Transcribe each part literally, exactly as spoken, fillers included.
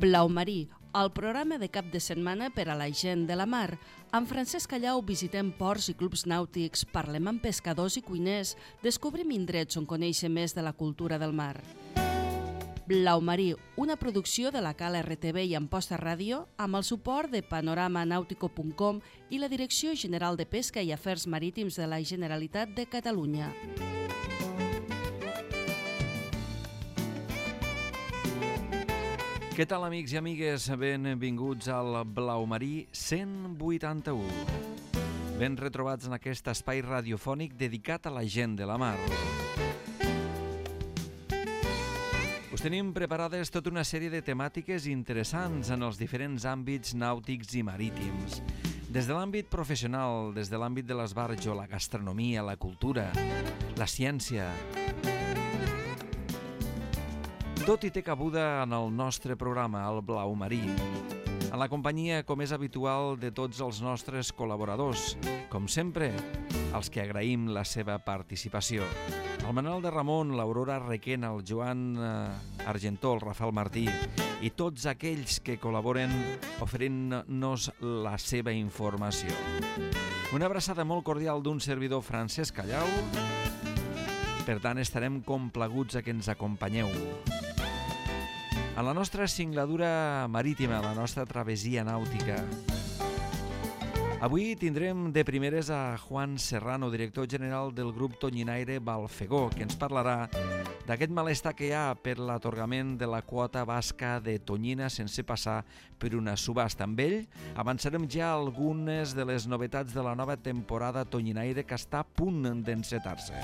Blau Marí, el programa de cap de setmana per a la gent de la mar. Amb Francesc Callau visitem ports i clubs nàutics, parlem amb pescadors i cuiners, descobrim indrets on conèixer més de la cultura del mar. Blau Marí, una producció de la Cala R T V i Amposta Ràdio amb el suport de panorama nàutico punt com i la Direcció General de Pesca i Afers Marítims de la Generalitat de Catalunya. Què tal, amics i amigues? Benvinguts al Blau Marí cent vuitanta-u. Ben retrobats en aquest espai radiofònic dedicat a la gent de la mar. Us tenim preparades tota una sèrie de temàtiques interessants en els diferents àmbits nàutics i marítims. Des de l'àmbit professional, des de l'àmbit de l'esbarjo, la gastronomia, la cultura, la ciència. Tot hi té cabuda en el nostre programa, el Blau Marí, en la companyia, com és habitual, de tots els nostres col·laboradors, com sempre, els que agraïm la seva participació. El Manel de Ramon, l'Aurora Requena, el Joan eh, Argentó, el Rafael Martí i tots aquells que col·laboren oferint-nos la seva informació. Una abraçada molt cordial d'un servidor, Francesc Callau. Per tant, estarem complaguts a que ens acompanyeu. En la nostra singladura marítima, la nostra travessia nàutica. Avui tindrem de primeres a Juan Serrano, director general del grup tonyinaire Balfegó, que ens parlarà d'aquest malestar que hi ha per l'atorgament de la quota basca de tonyina sense passar per una subhasta. Amb ell avançarem ja algunes de les novetats de la nova temporada tonyinaire que està a punt d'encetar-se.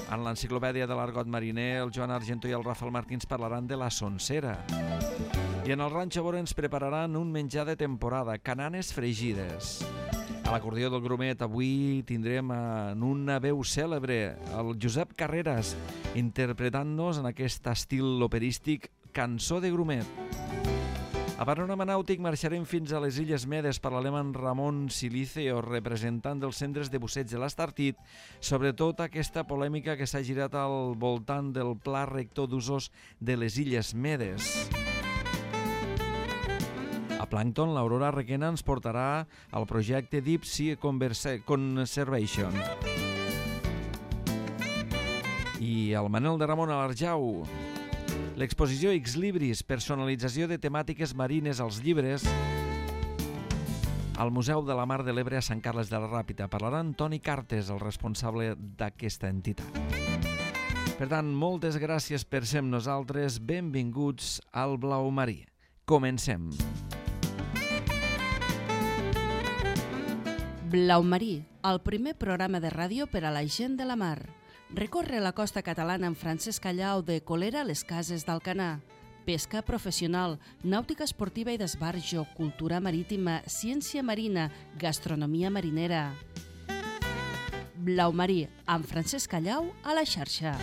En l'enciclopèdia de l'argot mariner, el Joan Argentó i el Rafael Martí ens parlaran de la sonsera. I en el Ranxo Bora ens prepararan un menjar de temporada, cananes fregides. A l'acordió del Grumet avui tindrem en una veu cèlebre el Josep Carreras, interpretant-nos en aquest estil operístic Cançó de Grumet. A Panorama Nàutic marxarem fins a les Illes Medes, parlarem amb Ramon Siliceo, representant dels centres de busseig de l'Estartit, sobretot aquesta polèmica que s'ha girat al voltant del pla rector d'usos de les Illes Medes. A Plàncton, l'Aurora Requena ens portarà al projecte Deep Sea Conservation. I el Manel de Ramon a l'Arjau, l'exposició X-Libris, personalització de temàtiques marines als llibres, al Museu de la Mar de l'Ebre a Sant Carles de la Ràpita. Parlarà Toni Cartes, el responsable d'aquesta entitat. Per tant, moltes gràcies per ser amb nosaltres. Benvinguts al Blau Marí. Comencem. Blau Marí, el primer programa de ràdio per a la gent de la mar. Recorre la costa catalana amb Francesc Callau de Colera a les Cases d'Alcanar. Pesca professional, nàutica esportiva i d'esbarjo, cultura marítima, ciència marina, gastronomia marinera. Blau Marí, amb Francesc Callau a la xarxa.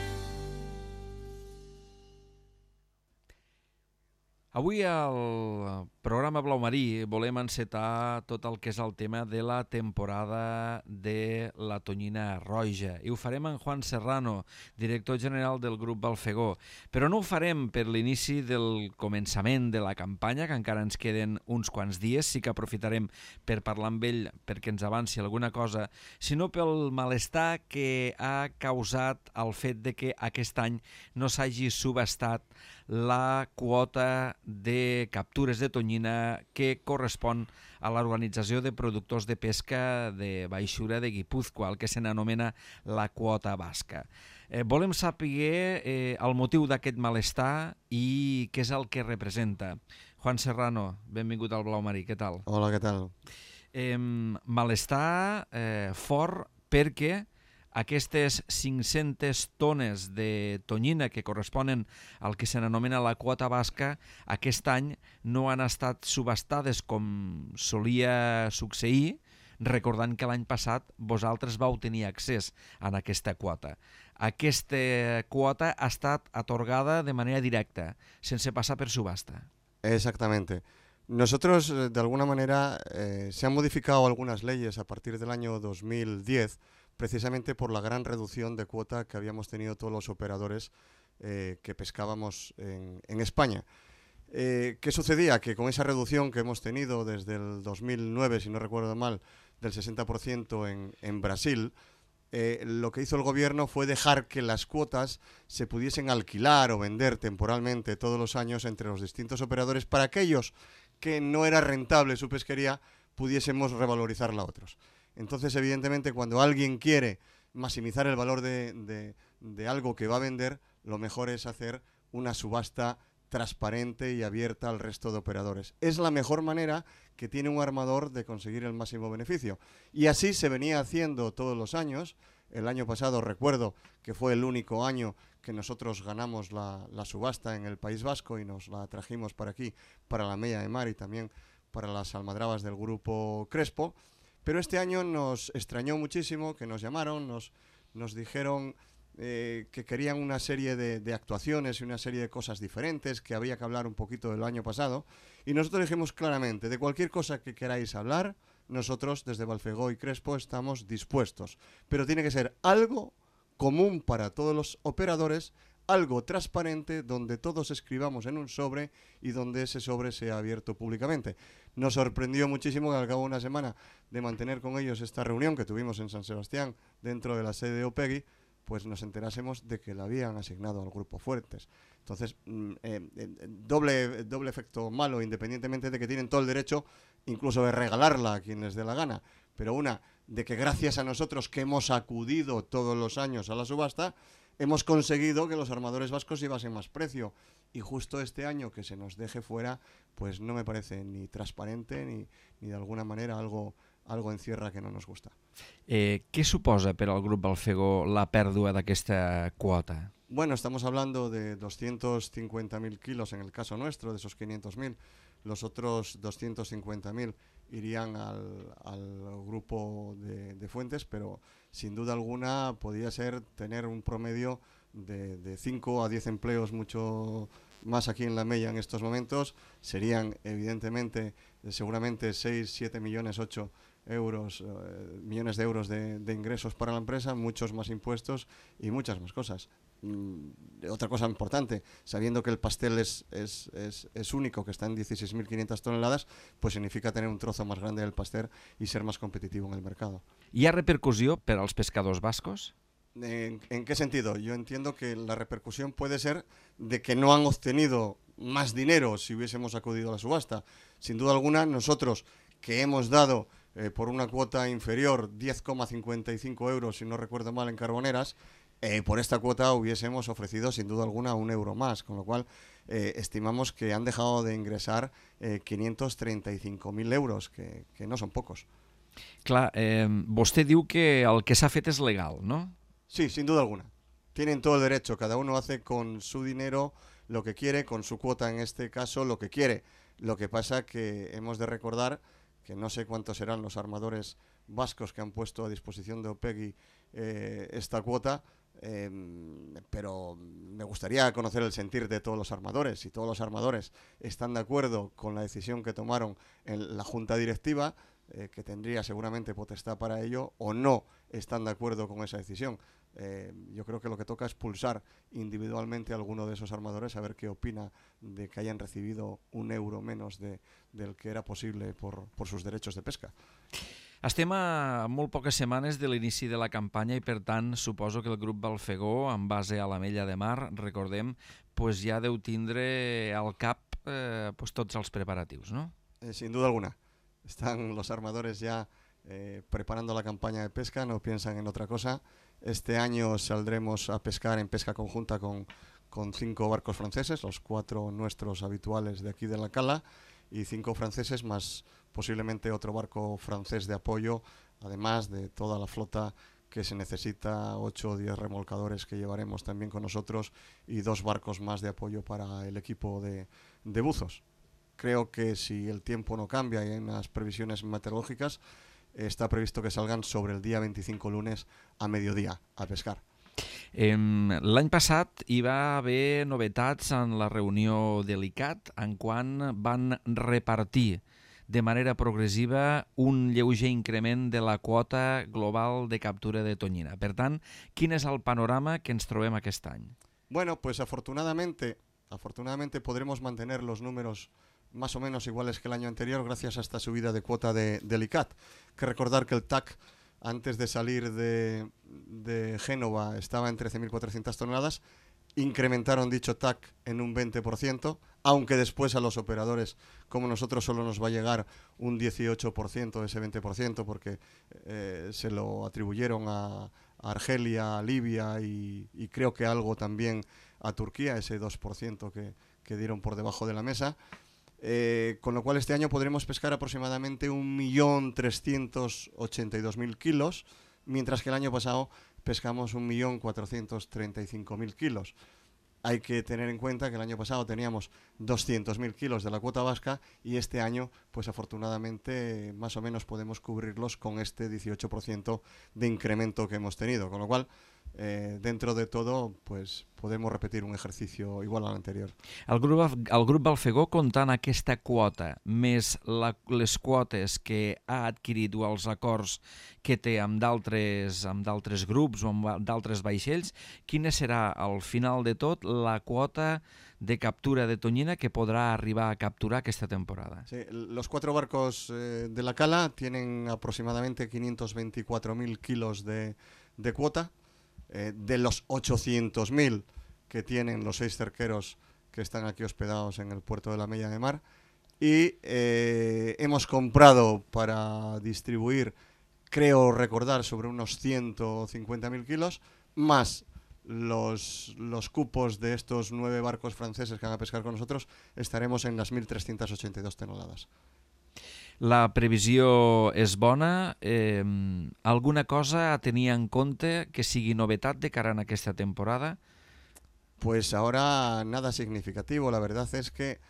Avui al programa Blau Marí volem encetar tot el que és el tema de la temporada de la tonyina roja i ho farem amb Juan Serrano, director general del grup Balfegó. Però no ho farem per l'inici del començament de la campanya, que encara ens queden uns quants dies, sí que aprofitarem per parlar amb ell perquè ens avanci alguna cosa, sinó pel malestar que ha causat el fet de que aquest any no s'hagi subhastat la quota de captures de tonyina que correspon a l'Organització de Productors de Pesca de Baixura de Guipúzcoa, el que se n'anomena la quota basca. Eh, volem saber eh, el motiu d'aquest malestar i què és el que representa. Juan Serrano, benvingut al Blau Marí, què tal? Hola, què tal? Eh, malestar eh, fort perquè aquestes cinc-centes tones de tonyina que corresponen al que se n'anomena la quota basca aquest any no han estat subhastades com solia succeir, recordant que l'any passat vosaltres vau tenir accés a aquesta quota. Aquesta quota ha estat atorgada de manera directa, sense passar per subhasta. Exactamente. Nosotros, de alguna manera, eh, se han modificado algunas leyes a partir del año dos mil diez, precisamente por la gran reducción de cuota que habíamos tenido todos los operadores eh, que pescábamos en, en España. Eh, ¿Qué sucedía? Que con esa reducción que hemos tenido desde el dos mil nueve, si no recuerdo mal, del sesenta por ciento en, en Brasil, eh, lo que hizo el gobierno fue dejar que las cuotas se pudiesen alquilar o vender temporalmente todos los años entre los distintos operadores para aquellos que no era rentable su pesquería pudiésemos revalorizarla a otros. Entonces, evidentemente, cuando alguien quiere maximizar el valor de, de, de algo que va a vender, lo mejor es hacer una subasta transparente y abierta al resto de operadores. Es la mejor manera que tiene un armador de conseguir el máximo beneficio. Y así se venía haciendo todos los años. El año pasado recuerdo que fue el único año que nosotros ganamos la, la subasta en el País Vasco y nos la trajimos para aquí, para la Mella de Mar y también para las almadrabas del Grupo Crespo. Pero este año nos extrañó muchísimo que nos llamaron, nos, nos dijeron eh, que querían una serie de, de actuaciones y una serie de cosas diferentes, que había que hablar un poquito del año pasado. Y nosotros dijimos claramente, de cualquier cosa que queráis hablar, nosotros desde Balfegó y Crespo estamos dispuestos. Pero tiene que ser algo común para todos los operadores, algo transparente, donde todos escribamos en un sobre y donde ese sobre sea abierto públicamente. Nos sorprendió muchísimo que al cabo de una semana de mantener con ellos esta reunión que tuvimos en San Sebastián, dentro de la sede de Opegui, pues nos enterásemos de que la habían asignado al Grupo Fuertes. Entonces, eh, eh, doble, doble efecto malo, independientemente de que tienen todo el derecho incluso de regalarla a quien les dé la gana. Pero una, de que gracias a nosotros que hemos acudido todos los años a la subasta, hemos conseguido que los armadores vascos llevasen más precio. Y justo este año que se nos deje fuera, pues no me parece ni transparente ni, ni de alguna manera algo, algo en cierra que no nos gusta. Eh, què suposa per al Grup Balfegó la pèrdua d'aquesta quota? Bueno, estamos hablando de doscientos cincuenta mil kilos en el caso nuestro, de esos quinientos mil. Los otros doscientos cincuenta mil irían al, al grupo de, de Fuentes, pero sin duda alguna podría ser tener un promedio de, de cinco a diez empleos mucho más aquí en la Mella en estos momentos. Serían evidentemente seguramente seis, siete millones, ocho euros, eh, millones de euros de, de ingresos para la empresa, muchos más impuestos y muchas más cosas. Mm, otra cosa importante, sabiendo que el pastel es, es, es, es único, que está en dieciséis mil quinientas toneladas, pues significa tener un trozo más grande del pastel y ser más competitivo en el mercado. Hi ha repercussió per als pescadors bascos? ¿En, ¿En qué sentido? Yo entiendo que la repercusión puede ser de que no han obtenido más dinero si hubiésemos acudido a la subasta. Sin duda alguna, nosotros que hemos dado eh, por una cuota inferior diez coma cincuenta y cinco euros, si no recuerdo mal, en Carboneras, eh, por esta cuota hubiésemos ofrecido sin duda alguna un euro más, con lo cual eh, estimamos que han dejado de ingresar eh, quinientos treinta y cinco mil euros, que, que no son pocos. Clar, eh, vostè diu que el que s'ha fet és legal, no? Sí, sin duda alguna. Tienen todo el derecho, cada uno hace con su dinero lo que quiere, con su cuota en este caso lo que quiere. Lo que pasa que hemos de recordar que no sé cuántos serán los armadores vascos que han puesto a disposición de Opegui eh, esta cuota, eh, pero me gustaría conocer el sentir de todos los armadores. Si todos los armadores están de acuerdo con la decisión que tomaron en la junta directiva, eh, que tendría seguramente potestad para ello, o no están de acuerdo con esa decisión. Eh, yo creo que lo que toca es pulsar individualmente a alguno de esos armadores a ver qué opina de que hayan recibido un euro menos de, del que era posible por, por sus derechos de pesca. Estem a molt poques setmanes de l'inici de la campanya i, per tant, suposo que el grup Balfegó, en base a la Mella de Mar, recordem, pues ja deu tindre al cap eh, pues tots els preparatius, ¿no? Eh, sin duda alguna. Están los armadores ya eh, preparando la campaña de pesca, no piensan en otra cosa. Este año saldremos a pescar en pesca conjunta con, con cinco barcos franceses, los cuatro nuestros habituales de aquí de la cala, y cinco franceses más posiblemente otro barco francés de apoyo, además de toda la flota que se necesita, ocho o diez remolcadores que llevaremos también con nosotros y dos barcos más de apoyo para el equipo de, de buzos. Creo que si el tiempo no cambia y hay unas previsiones meteorológicas, está previsto que salgan sobre el día veinticinco, lunes, a mediodía, a pescar. Eh, L'any passat hi va haver novetats en la reunió de l'I C A T en quan van repartir de manera progressiva un lleuger increment de la quota global de captura de tonyina. Per tant, quin és el panorama que ens trobem aquest any? Bueno, pues afortunadamente, afortunadamente podremos mantener los números más o menos iguales que el año anterior gracias a esta subida de cuota de, del I C A T. Hay que recordar que el T A C, antes de salir de, de Génova, estaba en trece mil cuatrocientas toneladas. Incrementaron dicho T A C en un veinte por ciento, aunque después a los operadores como nosotros solo nos va a llegar un dieciocho por ciento de ese veinte por ciento, porque eh, se lo atribuyeron a, a Argelia, a Libia y, y creo que algo también a Turquía, ese dos por ciento que, que dieron por debajo de la mesa. Eh, con lo cual este año podremos pescar aproximadamente un millón trescientos ochenta y dos mil kilos, mientras que el año pasado pescamos un millón cuatrocientos treinta y cinco mil kilos. Hay que tener en cuenta que el año pasado teníamos doscientos mil kilos de la cuota vasca y este año, pues afortunadamente, más o menos podemos cubrirlos con este dieciocho por ciento de incremento que hemos tenido, con lo cual, eh, dentro de todo, pues podemos repetir un ejercicio igual al anterior. El grup, el grup Balfegó, comptant aquesta quota, més la, les quotes que ha adquirit o els acords que té amb d'altres amb d'altres grups o amb d'altres vaixells, quina serà al final de tot la quota de captura de tonyina que podrà arribar a capturar aquesta temporada? Sí, los cuatro barcos eh, de la cala tienen aproximadamente quinientos veinticuatro mil kilos de, de cuota, eh, de los ochocientos mil que tienen los seis cerqueros que están aquí hospedados en el puerto de la Mella de Mar, y eh, hemos comprado para distribuir, creo recordar, sobre unos ciento cincuenta mil kilos, más los, los cupos de estos nueve barcos franceses que van a pescar con nosotros, estaremos en las mil trescientas ochenta y dos toneladas. La previsió és bona. Eh, alguna cosa a tenir en compte que sigui novetat de cara a aquesta temporada? Pues ahora nada significativo. La verdad es que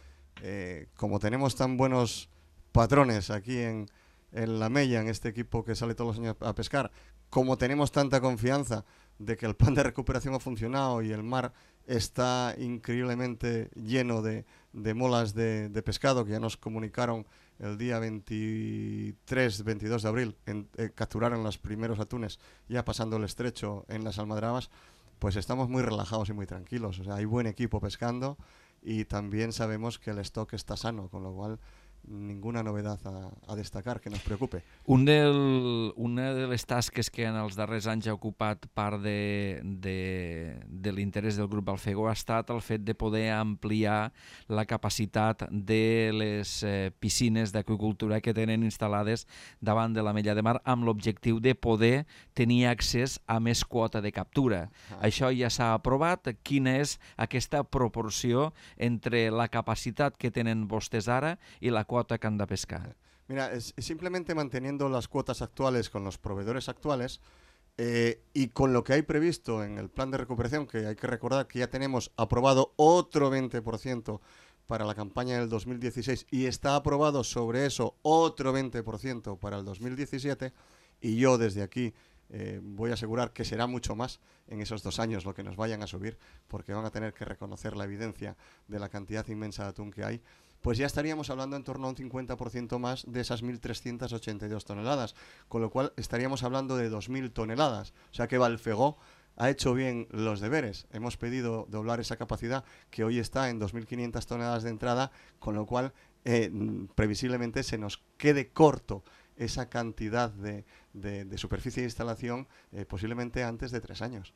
eh, como tenemos tan buenos patrones aquí en, en la Mella, en este equipo que sale todos los años a pescar, como tenemos tanta confianza de que el plan de recuperación ha funcionado y el mar está increíblemente lleno de, de molas de, de pescado, que ya nos comunicaron el día veintitrés veintidós de abril, en, eh, capturaron los primeros atunes ya pasando el estrecho en las almadrabas, pues estamos muy relajados y muy tranquilos. O sea, hay buen equipo pescando y también sabemos que el stock está sano, con lo cual ninguna novedad a, a destacar que nos preocupe. Un del, una de les tasques que en els darrers anys ha ocupat part de, de, de l'interès del grup Balfegó ha estat el fet de poder ampliar la capacitat de les eh, piscines d'aqüicultura que tenen instal·lades davant de la Mella de Mar, amb l'objectiu de poder tenir accés a més quota de captura. Ah. Això ja s'ha aprovat. Quina és aquesta proporció entre la capacitat que tenen vostès ara i la quota que han de pescar? Mira, es, es simplemente manteniendo las cuotas actuales con los proveedores actuales eh, y con lo que hay previsto en el plan de recuperación, que hay que recordar que ya tenemos aprobado otro veinte por ciento para la campaña del dos mil dieciséis y está aprobado sobre eso otro veinte por ciento para el dos mil diecisiete, y yo desde aquí eh, voy a asegurar que será mucho más en esos dos años lo que nos vayan a subir, porque van a tener que reconocer la evidencia de la cantidad inmensa de atún que hay. Pues ya estaríamos hablando en torno a un cincuenta por ciento más de esas mil trescientas ochenta y dos toneladas, con lo cual estaríamos hablando de dos mil toneladas. O sea que Balfegó ha hecho bien los deberes. Hemos pedido doblar esa capacidad, que hoy está en dos mil quinientas toneladas de entrada, con lo cual eh, previsiblemente se nos quede corto esa cantidad de, de, de superficie de instalación eh, posiblemente antes de tres años.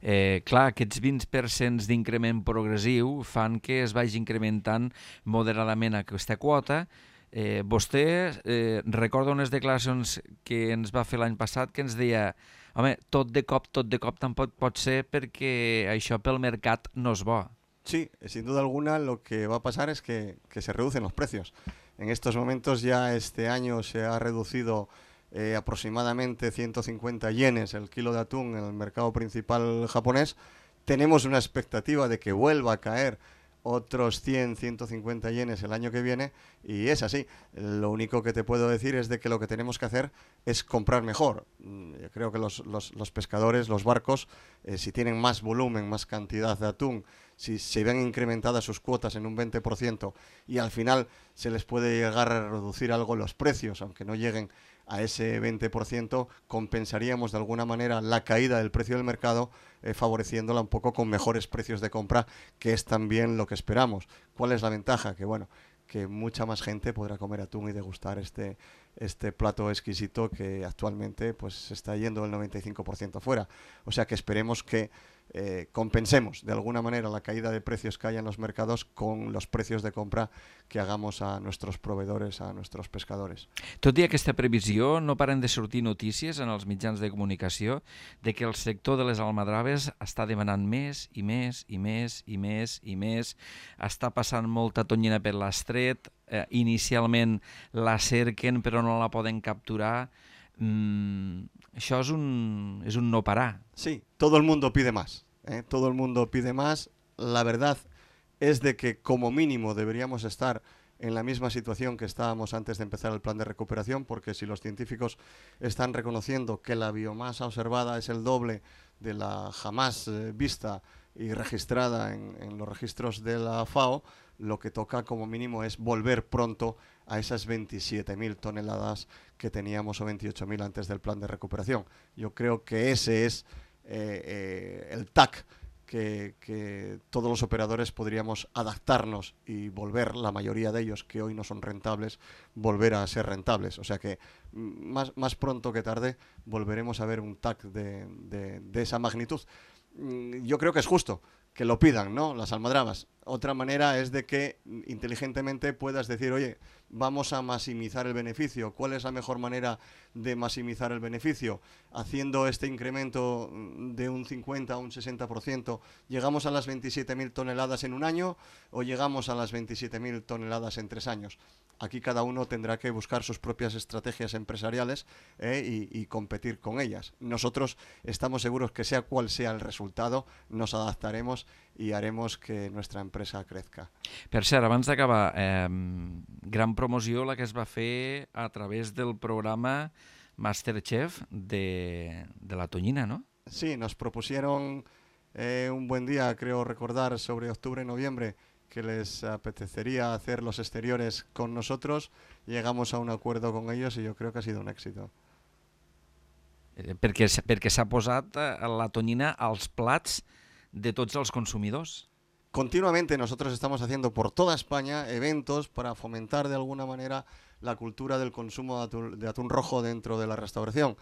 Eh, clar, aquests vint per cent d'increment progressiu fan que es vagi incrementant moderadament aquesta quota. Eh, vostè eh, recorda unes declaracions que ens va fer l'any passat que ens deia: home, tot de cop, tot de cop tampoc pot ser perquè això pel mercat no és bo. Sí, sin duda alguna lo que va a pasar es que, que se reducen los precios. En estos momentos ya este año se ha reducido Eh, aproximadamente ciento cincuenta yenes el kilo de atún en el mercado principal japonés. Tenemos una expectativa de que vuelva a caer otros cien, ciento cincuenta yenes el año que viene, y es así. Lo único que te puedo decir es de que lo que tenemos que hacer es comprar mejor. Yo creo que los, los, los pescadores, los barcos, eh, si tienen más volumen, más cantidad de atún, si se ven incrementadas sus cuotas en un veinte por ciento y al final se les puede llegar a reducir algo los precios, aunque no lleguen a ese veinte por ciento compensaríamos de alguna manera la caída del precio del mercado, eh, favoreciéndola un poco con mejores precios de compra, que es también lo que esperamos. ¿Cuál es la ventaja? Que bueno, que mucha más gente podrá comer atún y degustar este, este plato exquisito que actualmente pues se está yendo el noventa y cinco por ciento fuera. O sea que esperemos que eh, compensemos de alguna manera la caída de precios que haya en los mercados con los precios de compra que hagamos a nuestros proveedores, a nuestros pescadores. Tot i aquesta previsió, no paren de sortir notícies en els mitjans de comunicació de que el sector de les almadraves està demanant més i més i més i més i més. Està passant molta tonyina per l'estret, eh, inicialment la cerquen però no la poden capturar. Mm, això és un, és un no parar. Sí, todo el mundo pide más, ¿eh? Todo el mundo pide más. La verdad es de que como mínimo deberíamos estar en la misma situación que estábamos antes de empezar el plan de recuperación, porque si los científicos están reconociendo que la biomasa observada es el doble de la jamás eh, vista y registrada en, en los registros de la FAO, lo que toca como mínimo es volver pronto a esas veintisiete mil toneladas que teníamos o veintiocho mil antes del plan de recuperación. Yo creo que ese es eh, eh, el T A C que, que todos los operadores podríamos adaptarnos y volver, la mayoría de ellos que hoy no son rentables, volver a ser rentables. O sea que más, más pronto que tarde volveremos a ver un T A C de, de, de esa magnitud. Yo creo que es justo que lo pidan, ¿no? Las almadrabas. Otra manera es de que inteligentemente puedas decir, oye, vamos a maximizar el beneficio. ¿Cuál es la mejor manera de maximizar el beneficio? Haciendo este incremento de un cincuenta a un sesenta por ciento, ¿llegamos a las veintisiete mil toneladas en un año o llegamos a las veintisiete mil toneladas en tres años? Aquí cada uno tendrá que buscar sus propias estrategias empresariales eh, y, y competir con ellas. Nosotros estamos seguros que sea cual sea el resultado, nos adaptaremos i haremos que nuestra empresa crezca. Per cert, abans d'acabar, eh, gran promoció la que es va fer a través del programa Masterchef de, de la tonyina, ¿no? Sí, nos propusieron eh, un buen día, creo recordar, sobre octubre-noviembre, que les apetecería hacer los exteriores con nosotros. Llegamos a un acuerdo con ellos y yo creo que ha sido un éxito. Eh, perquè perquè s'ha posat la tonyina als plats de tots els consumidors. Continuamente nosotros estamos haciendo por toda España eventos para fomentar de alguna manera la cultura del consumo de atún, de atún rojo dentro de la restauración.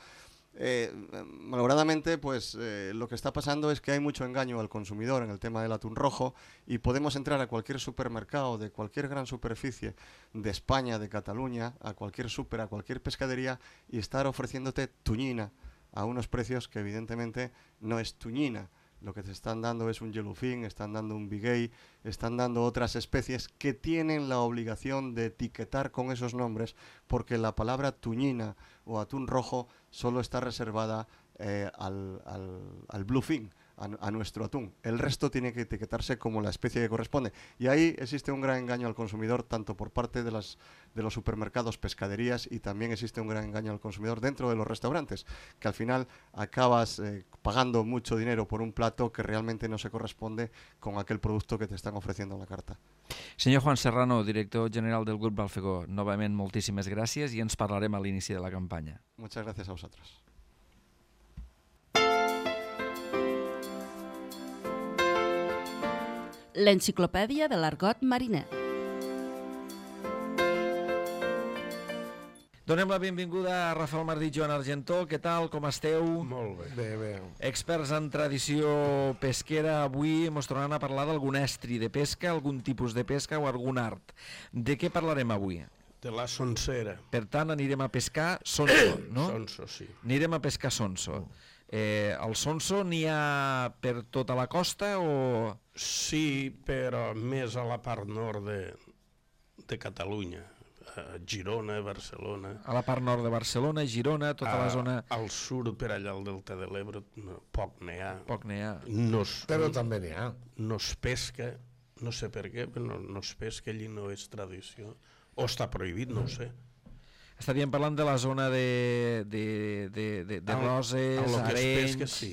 Eh, malauradamente, pues eh, lo que está pasando es que hay mucho engaño al consumidor en el tema del atún rojo y podemos entrar a cualquier supermercado de cualquier gran superficie de España, de Cataluña, a cualquier súper, a cualquier pescadería y estar ofreciéndote tuñina a unos precios que evidentemente no es tuñina. Lo que te están dando es un yellowfin, están dando un biguey, están dando otras especies que tienen la obligación de etiquetar con esos nombres, porque la palabra tuñina o atún rojo solo está reservada eh, al, al, al bluefin, a, a nuestro atún. El resto tiene que etiquetarse como la especie que corresponde. Y ahí existe un gran engaño al consumidor, tanto por parte de, las, de los supermercados, pescaderías, y también existe un gran engaño al consumidor dentro de los restaurantes, que al final acabas eh, pagando mucho dinero por un plato que realmente no se corresponde con aquel producto que te están ofreciendo en la carta. Senyor Juan Serrano, director general del Grup Balfegó, novament moltíssimes gràcies i ens parlarem a l'inici de la campanya. Muchas gracias a vosotros. L'enciclopèdia de l'argot mariner. Donem la benvinguda a Rafael Martí i Joan Argentó. Què tal, com esteu? Molt bé. Bé, bé. Experts en tradició pesquera, avui ens tornaran a parlar d'algun estri de pesca, algun tipus de pesca o algun art. De què parlarem avui? De la sonsera. Per tant, anirem a pescar sonso, no? Sonso, sí. Anirem a pescar sonso. Eh, el sonso n'hi ha per tota la costa o...? Sí, però més a la part nord de, de Catalunya. A Girona, Barcelona. A la part nord de Barcelona, Girona, tota a, la zona... Al sud, per allà al Delta de l'Ebre, no, poc n'hi ha. Poc n'hi ha. No es, Però també n'hi ha. No es pesca, no sé per què, però no, no es pesca, allí no és tradició. O està prohibit, no ho sé. Estaríem parlant de la zona de, de, de, de, de Roses, Arenys, pesca, sí,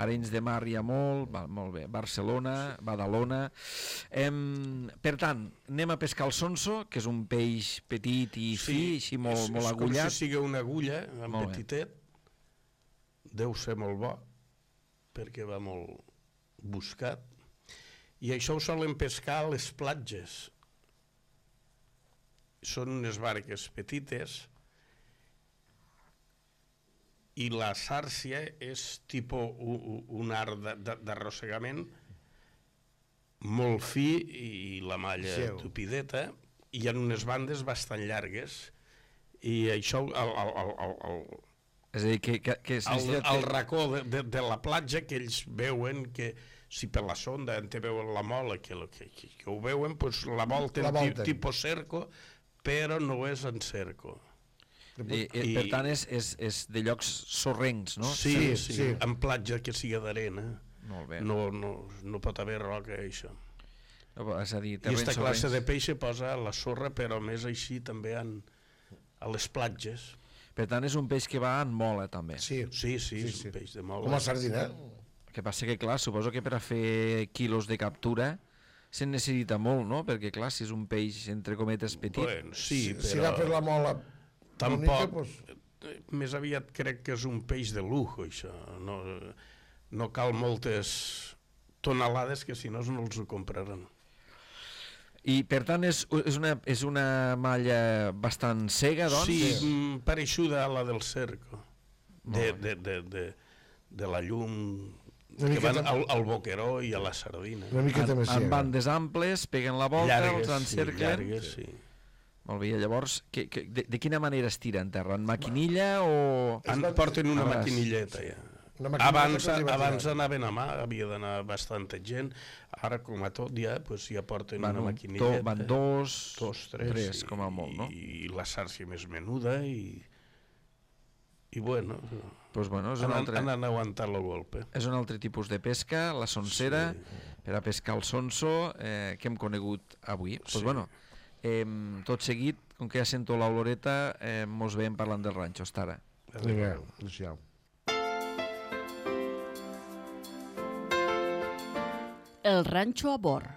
Arenys de Mar hi ha molt, va, molt bé, Barcelona, sí. Badalona. Em, per tant, anem a pescar el sonso, que és un peix petit i fi, sí, així molt, és, molt és agullat. com si sigui una agulla, en molt petitet, bé. Deu ser molt bo, perquè va molt buscat. I això ho solen pescar a les platges. Són unes barques petites i la sàrcia és tipus un, un art d'arrossegament molt fi i la malla sí. tupideta, i hi ha unes bandes bastant llargues, i això el, el, el, el, el, és a dir, que, que, que el, el racó de, de, de la platja, que ells veuen que si per la sonda en te veuen la mola, que, que, que, que ho veuen, pues la volten, la volten. Tipus cerco, però no és en cerco. I, I, per tant, és, és, és de llocs sorrencs, no? Sí, sí, sí, sí. En platja que sigui d'arena. Molt bé. No, no, no pot haver roca, això. No, és a dir, I aquesta classe sorrencs. De peix se posa a la sorra, però més així també en, a les platges. Per tant, és un peix que va en mola, també. Sí, sí, sí, sí, és un sí. peix de mola. Com la sardina. El que passa que, clar, suposo que per a fer quilos de captura se'n necessita molt, no? Perquè, clar, si és un peix, entre cometes, petit... Bueno, sí, si, però... Si va per la mola... Tampoc... Pues... Més aviat crec que és un peix de lujo, això. No, no cal moltes tonelades, que si no no els ho compraran. I, per tant, és, és, una, és una malla bastant cega, doncs? Sí, sí. Pareixuda a la del cerco. De, de, de, de, de la llum... que van al, al boqueró i a la sardina. Una miqueta més cega. En bandes amples, peguen la volta, llargues, els encerclen... Sí, llargues, sí. Molt bé, llavors, que, que, de, de quina manera es tira en terra? En maquinilla o...? En, porten una maquinilleta, ja. Abans, abans anaven a mà, havia d'anar bastanta gent, ara com a tot ja, pues, ja porten van una maquinilleta. Van dos, dos tres, tres, com a molt, no? I, i la sàrcia més menuda, i, i bueno... Pues bueno, és un han, altre... han aguantat el golpe. És un altre tipus de pesca, la sonsera, sí. Per a pescar el sonso, eh, que hem conegut avui. Pues sí. Bueno, eh, tot seguit, com que ja sento l'oloreta, eh, mos veiem parlant del ranxo, Estara. Vinga, adéu. El ranxo a bord.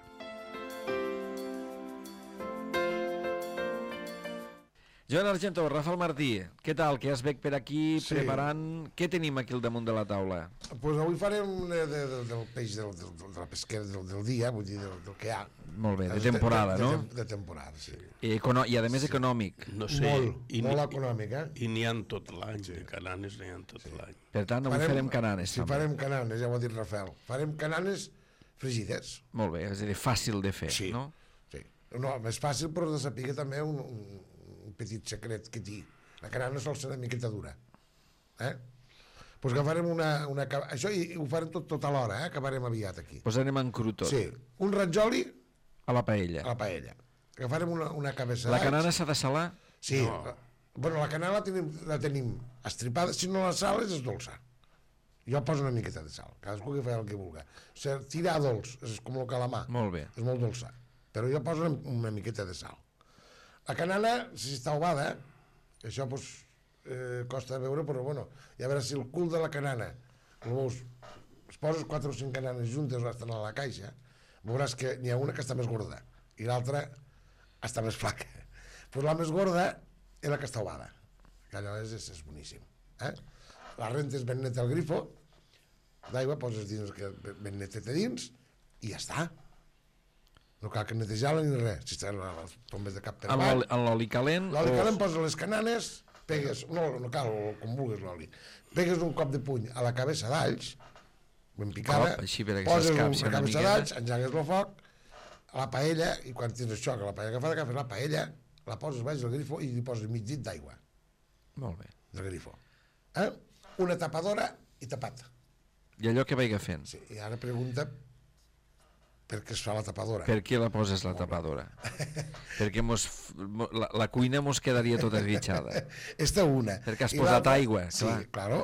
Joan Argento, Rafael Martí, què tal? Que ja es veig per aquí sí. Preparant... Què tenim aquí al damunt de la taula? Pues avui farem de, de, de, del peix del, del, de la pesquera del, del dia, vull dir, del, del que hi ha. Molt bé, de temporada, de, de, no? De, de temporada, sí. I, econo... I a més sí. Econòmic. No sé, molt, i, molt econòmic, eh? I n'hi ha tot l'any, sí. Cananes n'hi ha tot sí. l'any. Per tant, avui farem, farem cananes. Sí, també. Farem cananes, ja ho ha dit Rafael. Farem cananes fregides. Molt bé, és a dir, fàcil de fer, sí. no? Sí, no, més fàcil, però de saber també un, un, un petit secret que té. La canana sol ser una miqueta dura. Eh? Pues agafarem una... una això i ho farem tot, tot a l'hora, eh? Acabarem aviat aquí. Pues anem en cru tot. Sí, un ratjoli... A la paella. A la paella. Agafarem una, una cabeça La canana s'ha de salar? Sí. No. La, bueno, la canana la tenim, la tenim estripada, si no la sales és dolça. Jo poso una miqueta de sal, cadascú que fa el que vulgui. O sigui, tirar dolç, és com el calamar. Molt bé. És molt dolça. Però jo poso una, una miqueta de sal. La canana, si està ovada, això pues, eh, costa veure, però bueno, ja veuràs si el cul de la canana, veus, es poses quatre o cinc cananes juntes o estan a la caixa, veuràs que n'hi ha una que està més gorda i l'altra està més flaca. Pues la més gorda és la que està ovada, que allò és, és, és boníssim. Eh? La rentes ben neta al grifo, d'aigua poses dins, que ben netet a dins, i ja està. No cal que netejar-la ni res. Si estan les tombes de cap per avall. En l'oli calent? L'oli o... calent poses les cananes, pegues, no, no cal, com vulguis l'oli, pegues un cop de puny a la cabeça d'alls, ben picada, cop, així per poses una, una cabeça d'alls, engegues el foc, a la paella, i quan tens això, que la paella agafada, agafes la paella, la poses baix del grifo i li poses mig dit d'aigua. Molt bé. Del grifo. Eh? Una tapadora i tapat. I allò que vaiga fent. Sí, i ara pregunta per què es fa la tapadora. Per què la poses la tapadora? Perquè mos, la, la cuina mos quedaria tota esguitxada. Esta una. Perquè has I posat aigua, sí, clar. Sí, claro.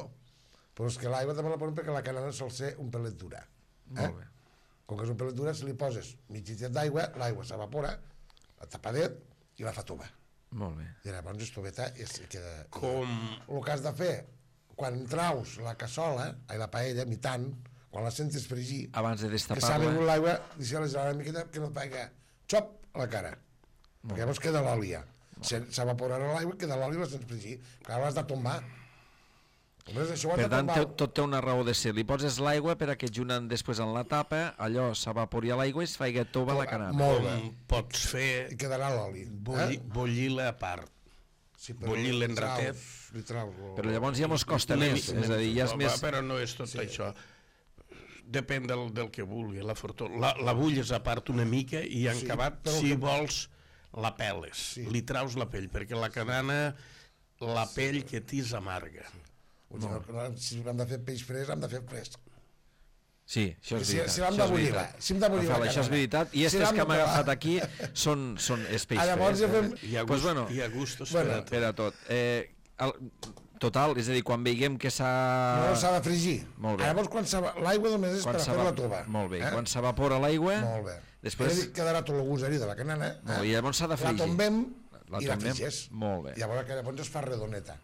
Però és que l'aigua també la posen perquè la canana sol ser un pelet dura. Eh? Molt bé. Com que és un pelet dura, si li poses mig litre d'aigua, l'aigua s'evapora, la tapadet i la fa tova. Molt bé. I llavors estoveta i es queda... Com... El que has de fer, quan traus la cassola, ai, la paella, mitant, quan la sentes fregir, abans de que s'ha destapar-la, begut l'aigua, deixa-la gelar una miqueta que no et pega xop a la cara. Perquè llavors queda l'oli. S'evaporarà l'aigua i queda l'oli i la sents fregir. Clar, l'has de tombar. Només això ho has per de tant, tombar. té- tot té una raó de ser. Li poses l'aigua per a que junt després en la tapa, allò s'evapori l'aigua i es faig tova la canana. Molt bé. Com pots fer I quedarà l'oli. bulli, bullir-la a part. Sí, però bullir li l'enratet. traus- Li traus... lo- Però llavors ja mos costa Una més, mica- és a dir, ja és Va, més... Però no és tot això. Depèn del, del que vulgui, la fortuna. La, la bulles a part una mica i en Sí, acabat, però si que- vols, la peles. Sí. Li traus la pell, perquè la canana, la pell que t'és amarga. Vull dir, no, si hem de fer peix fresc, hem de fer fresc. Sí, això és Si- veritat. si l'hem això de és bullir, veritat. va, si hem de bullir la Rafael, això és canana. veritat. I Si estes l'hem que de hem provar. agafat aquí són, són és peix Ah, llavors ja fresc. fem... Hi ha, Pues gust, bueno. hi ha gustos Bueno, per a tot. Per a tot. Eh, el, total, és a dir, quan veiem que s'ha... No s'ha de fregir. Molt bé. Llavors, quan s'eva- l'aigua només és quan per a s'eva- fer la tova. Molt bé. Eh? Quan s'evapora l'aigua, Molt bé. després... Després... Quedarà tot el gust allí de la canana. Molt bé, llavors s'ha de La fregir. tombem La i la tombem. fregeix. Molt bé. I llavors, que llavors es fa redoneta.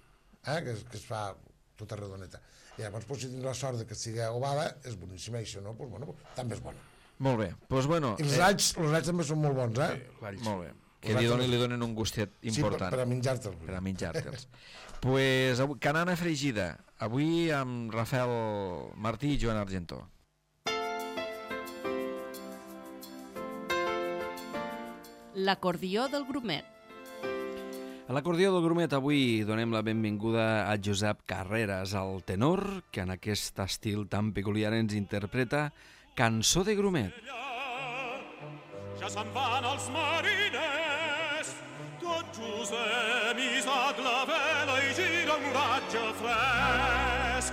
Eh? Que, es, que es fa tota redoneta. I llavors, pues, si tens la sort de que sigui ovada, és boníssima. I si no, pues, bueno, pues, també és bona. Molt bé. Doncs bueno... I els alls, els alls també són molt bons, eh? L'all. Molt bé. Que Els li alls donen, també- li donen un gustet important. Sí, per, per a menjar-te'ls. per a menjar-te'ls. Pues, avui, canana fregida. Avui amb Rafael Martí i Joan Argentó. L'acordió del grumet. A l'acordió del grumet avui donem la benvinguda a Josep Carreras, el tenor, que en aquest estil tan peculiar ens interpreta Cançó de grumet. Ja se'n van els mariners, tot just hem hissat la vela i gira un oratge fresc.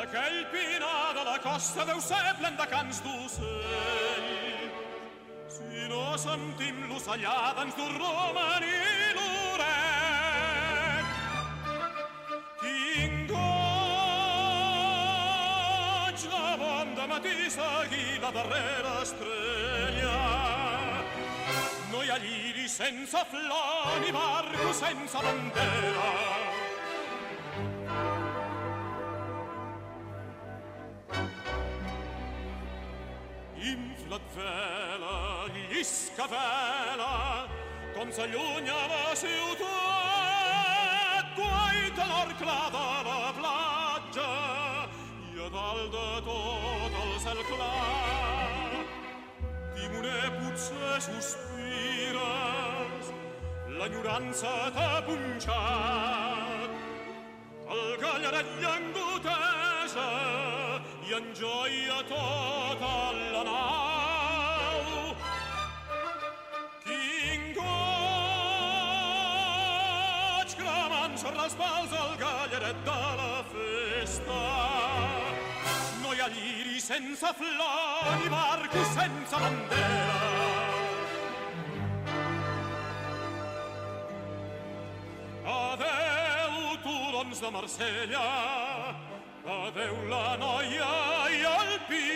Aquell pinar de la costa deu ser plen de cants d'ocell. Si no sentim l'ocellada ens dur romaní l'oret. Quin goig de bon dematí seguir la darrera estrella. No hi ha lliri sense flor ni barco sense bandera. Infla't vela, llisca vela, com s'allunya la ciutat, guaita l'or clar de la platja i a dalt de tot el cel clar. Timoner, potser sospires, l'enyorança t'ha punxat, el gallaret llengoteja i enjoia tota la nau. Quin goig cremant sobre els pals el gallaret de la festa. No hi ha lliri sense flor ni barco sense bandera. Adeu, turons de Marsella, adeu la noia i el pi.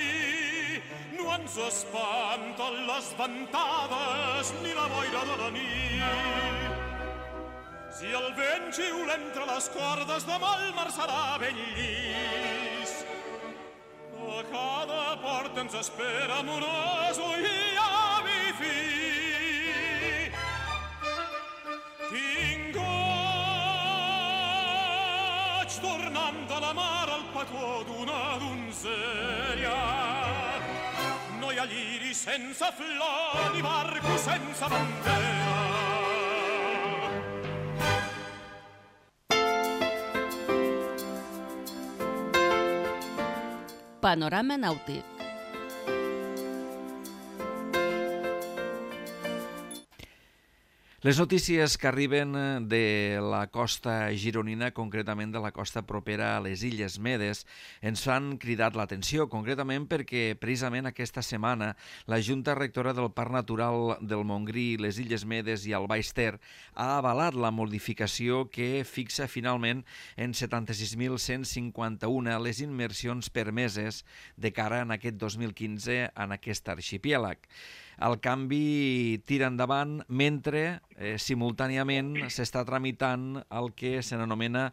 No ens espanten les ventades ni la boira de la nit. Si el vent xiula entre les cordes, demà el mar serà ben llis. A cada porta ens espera amoroso i avi fi. Quin goig tornant de la mar al petó d'una donzella. No hi ha lliri sense flor ni barco sense bandera. Panorama nàutic. Les notícies que arriben de la costa gironina, concretament de la costa propera a les Illes Medes, ens han cridat l'atenció, concretament perquè precisament aquesta setmana la Junta Rectora del Parc Natural del Montgrí, les Illes Medes i el Baix Ter ha avalat la modificació que fixa finalment en setanta-sis mil cent cinquanta-u les immersions permeses de cara en aquest dos mil quinze en aquest arxipèlag. el canvi tira endavant mentre eh, simultàniament s'està tramitant el que se n'anomena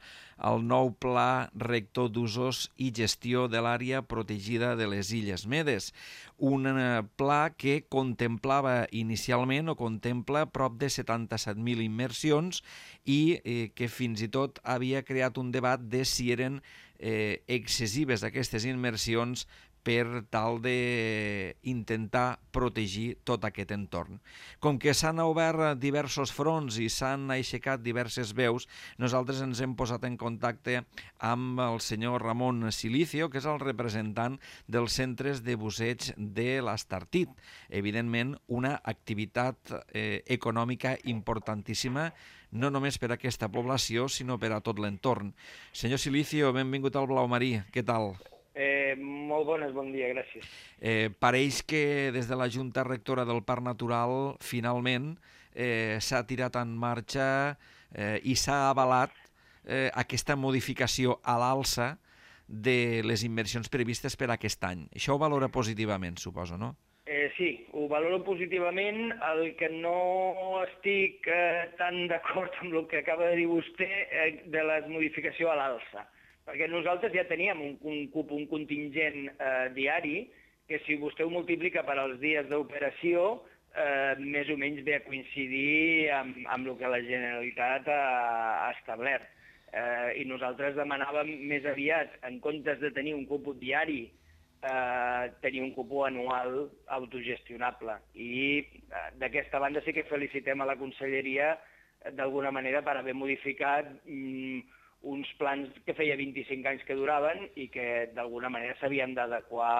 el nou Pla Rector d'Usos i Gestió de l'Àrea Protegida de les Illes Medes. Un eh, pla que contemplava inicialment o contempla prop de setanta-set mil immersions i eh, que fins i tot havia creat un debat de si eren eh, excessives aquestes immersions per tal d'intentar protegir tot aquest entorn. Com que s'han obert diversos fronts i s'han aixecat diverses veus, nosaltres ens hem posat en contacte amb el senyor Ramon Silicio, que és el representant dels centres de busseig de l'Estartit. Evidentment, una activitat eh, econòmica importantíssima, no només per a aquesta població, sinó per a tot l'entorn. Senyor Silicio, benvingut al Blau Marí. Què tal? Eh, molt bones, bon dia, gràcies. Eh, pareix que des de la Junta Rectora del Parc Natural finalment eh, s'ha tirat en marxa eh, i s'ha avalat eh, aquesta modificació a l'alça de les inversions previstes per aquest any. Això ho valora positivament, suposo, no? Eh, sí, ho valoro positivament. El que no estic eh, tan d'acord amb el que acaba de dir vostè eh, de la modificació a l'alça. Perquè nosaltres ja teníem un, un, un contingent eh, diari que si vostè ho multiplica per als dies d'operació eh, més o menys ve a coincidir amb, amb el que la Generalitat ha, ha establert. Eh, I nosaltres demanàvem més aviat, en comptes de tenir un cuput diari, eh, tenir un cuput anual autogestionable. I eh, d'aquesta banda sí que felicitem a la Conselleria eh, d'alguna manera per haver modificat mm, uns plans que feia vint-i-cinc anys que duraven i que d'alguna manera s'havien d'adequar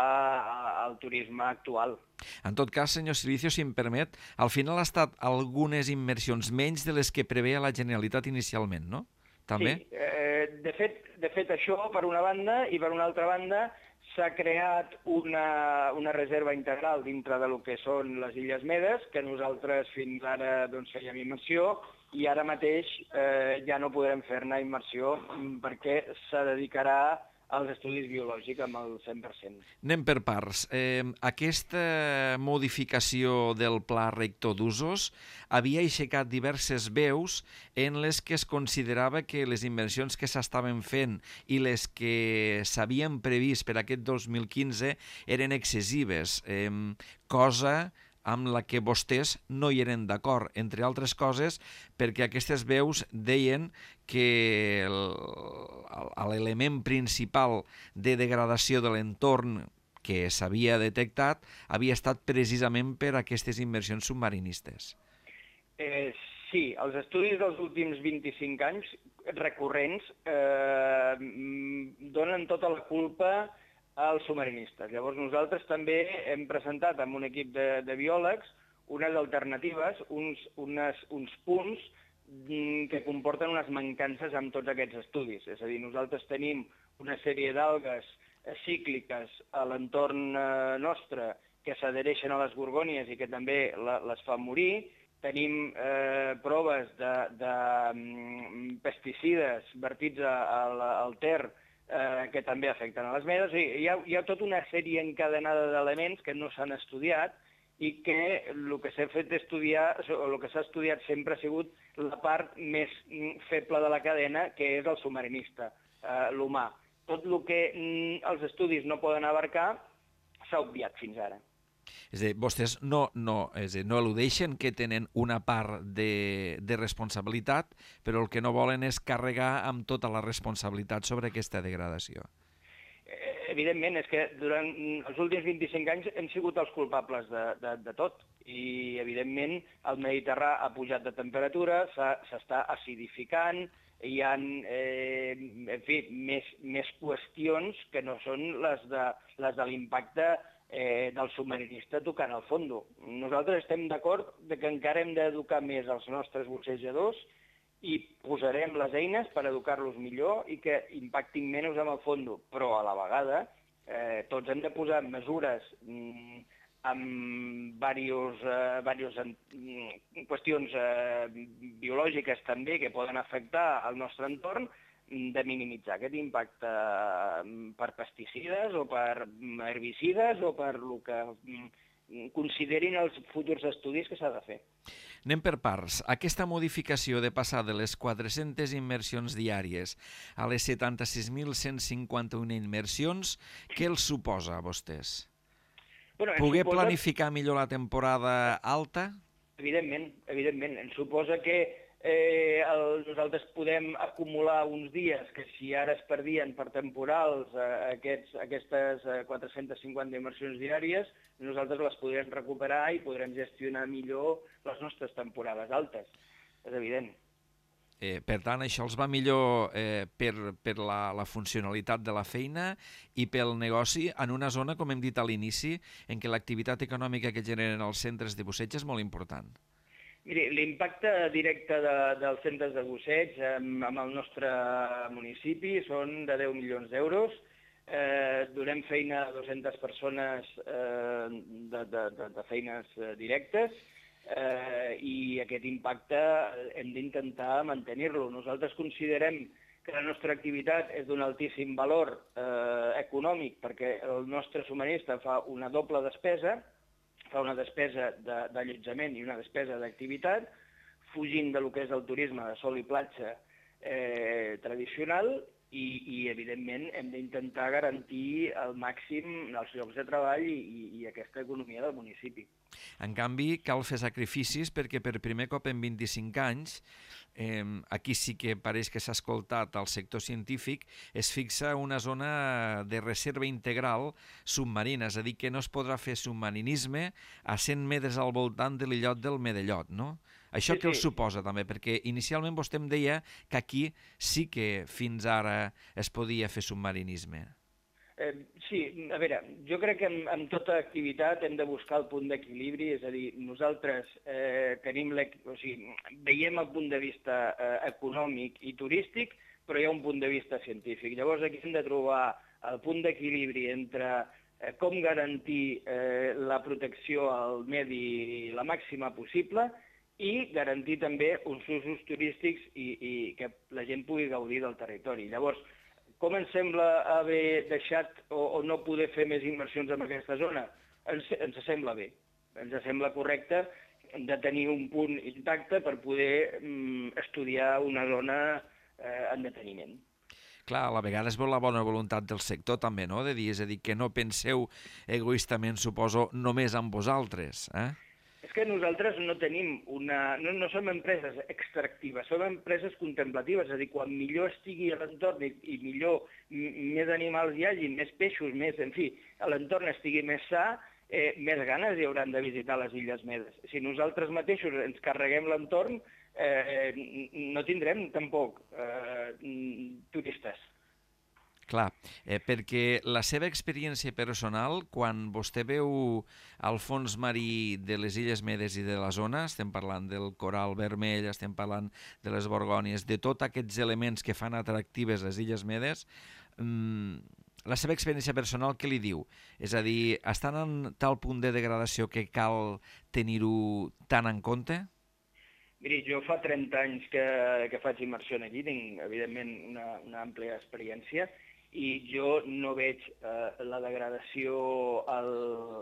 al turisme actual. En tot cas, senyor Silicio, si em permet, al final ha estat algunes immersions menys de les que preveia la Generalitat inicialment, no? També? Sí, eh, de, fet, de fet això per una banda, i per una altra banda s'ha creat una, una reserva integral dintre de lo que són les Illes Medes, que nosaltres fins ara doncs, fèiem immersió, i ara mateix eh, ja no podrem fer-ne immersió perquè se dedicarà als estudis biològics amb el cent per cent. Anem per parts. Eh, aquesta modificació del Pla Rector d'Usos havia aixecat diverses veus en les que es considerava que les inversions que s'estaven fent i les que s'havien previst per aquest dos mil quinze eren excessives, eh, cosa amb la que vostès no hi eren d'acord, entre altres coses perquè aquestes veus deien que l'element principal de degradació de l'entorn que s'havia detectat havia estat precisament per aquestes inversions submarinistes. Eh, sí, els estudis dels últims vint-i-cinc anys recurrents eh, donen tota la culpa als submarinistes. Llavors nosaltres també hem presentat amb un equip de, de biòlegs unes alternatives, uns, unes, uns punts que comporten unes mancances amb tots aquests estudis. És a dir, nosaltres tenim una sèrie d'algues cícliques a l'entorn nostre que s'adhereixen a les gorgònies i que també la, les fan morir. Tenim eh, proves de, de um, pesticides vertits al, al Ter eh, que també afecten a les medes. Hi ha, hi ha tota una sèrie encadenada d'elements que no s'han estudiat i que el que s'ha fet estudiar, o el que s'ha estudiat sempre ha sigut la part més feble de la cadena, que és el submarinista, eh, l'humà. Tot el que mm, els estudis no poden abarcar s'ha obviat fins ara. És a dir, vostès no, no, és a dir, no eludeixen que tenen una part de, de responsabilitat, però el que no volen és carregar amb tota la responsabilitat sobre aquesta degradació. Evidentment, és que durant els últims vint-i-cinc anys hem sigut els culpables de, de, de tot. I, evidentment, el Mediterrà ha pujat de temperatura, s'està acidificant, hi ha eh, en fi, més, més qüestions que no són les de, les de l'impacte eh, del submarinista tocant al fondo. Nosaltres estem d'acord que encara hem d'educar més els nostres bussejadors i posarem les eines per educar-los millor i que impactin menys amb el fondo. Però a la vegada eh, tots hem de posar mesures mm, amb diverses eh, qüestions eh, biològiques també que poden afectar el nostre entorn, de minimitzar aquest impacte per pesticides o per herbicides o per el que considerin els futurs estudis que s'ha de fer. Anem per parts. Aquesta modificació de passar de les quatre-centes immersions diàries a les setanta-sis mil cent cinquanta-u immersions, què els suposa a vostès? Bueno, Poder suposa... planificar millor la temporada alta? Evidentment, evidentment. Ens suposa que eh, el, nosaltres podem acumular uns dies que si ara es perdien per temporals eh, aquests, aquestes eh, quatre-centes cinquanta immersions diàries, nosaltres les podrem recuperar i podrem gestionar millor les nostres temporades altes. És evident. Eh, per tant, això els va millor eh, per, per la, la funcionalitat de la feina i pel negoci en una zona, com hem dit a l'inici, en què l'activitat econòmica que generen els centres de busseig és molt important. Miri, l'impacte directe de, dels centres de busseig amb, amb el nostre municipi són de deu milions d'euros. Eh, donem feina a dues-centes persones eh, de, de, de, de feines eh, directes. Eh, i aquest impacte hem d'intentar mantenir-lo. Nosaltres considerem que la nostra activitat és d'un altíssim valor eh, econòmic perquè el nostre subministre fa una doble despesa, fa una despesa d'allotjament i una despesa d'activitat, fugint de lo que és el turisme de sol i platja eh, tradicional i, i, evidentment, hem d'intentar garantir al màxim els llocs de treball i, i, i aquesta economia del municipi. En canvi, cal fer sacrificis perquè per primer cop en vint-i-cinc anys, eh, aquí sí que pareix que s'ha escoltat al sector científic, es fixa una zona de reserva integral submarina, és a dir, que no es podrà fer submarinisme a cent metres al voltant de l'illot del Medellot, no? Això sí, què sí. els suposa també? Perquè inicialment vostè em deia que aquí sí que fins ara es podia fer submarinisme. Eh, sí, a veure, jo crec que en, en tota activitat hem de buscar el punt d'equilibri, és a dir, nosaltres eh, tenim o sigui, veiem el punt de vista eh, econòmic i turístic, però hi ha un punt de vista científic. Llavors aquí hem de trobar el punt d'equilibri entre eh, com garantir eh, la protecció al medi la màxima possible i garantir també uns usos turístics i, i que la gent pugui gaudir del territori. Llavors, com ens sembla haver deixat o, o no poder fer més inversions en aquesta zona? Ens, ens sembla bé, ens sembla correcte de tenir un punt intacte per poder mm, estudiar una zona eh, en deteniment. Clar, a la vegada es veu la bona voluntat del sector també, no? De dir, és a dir, que no penseu egoistament, suposo, només en vosaltres, eh? És que nosaltres no tenim una... No, no som empreses extractives, som empreses contemplatives, és a dir, quan millor estigui a l'entorn i, i millor més animals hi hagi, més peixos, més... En fi, l'entorn estigui més sa, eh, més ganes hi hauran de visitar les Illes Medes. Si nosaltres mateixos ens carreguem l'entorn, eh, no tindrem tampoc eh, turistes. Clar, eh, perquè la seva experiència personal, quan vostè veu el fons marí de les Illes Medes i de la zona, estem parlant del coral vermell, estem parlant de les borgònies, de tots aquests elements que fan atractives les Illes Medes, mmm, la seva experiència personal què li diu? És a dir, estan en tal punt de degradació que cal tenir-ho tan en compte? Miri, jo fa trenta anys que, que faig immersió aquí, tinc, evidentment, una, una àmplia experiència, i jo no veig eh, la degradació al,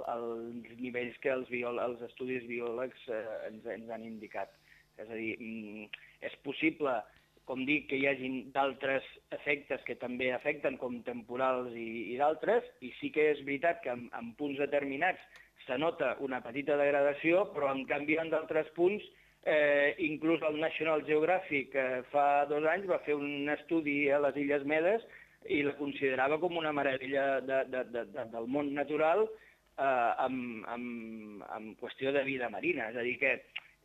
als nivells que els, biol, els estudis biòlegs eh, ens, ens han indicat. És a dir, mm, és possible, com dic, que hi hagi d'altres efectes que també afecten, com temporals i, i d'altres, i sí que és veritat que en, en punts determinats se nota una petita degradació, però en canvi en d'altres punts, eh, inclús el National Geographic eh, fa dos anys va fer un estudi a les Illes Medes i la considerava com una meravella de, de, de, de, del món natural eh, amb, amb, amb qüestió de vida marina. És a dir que,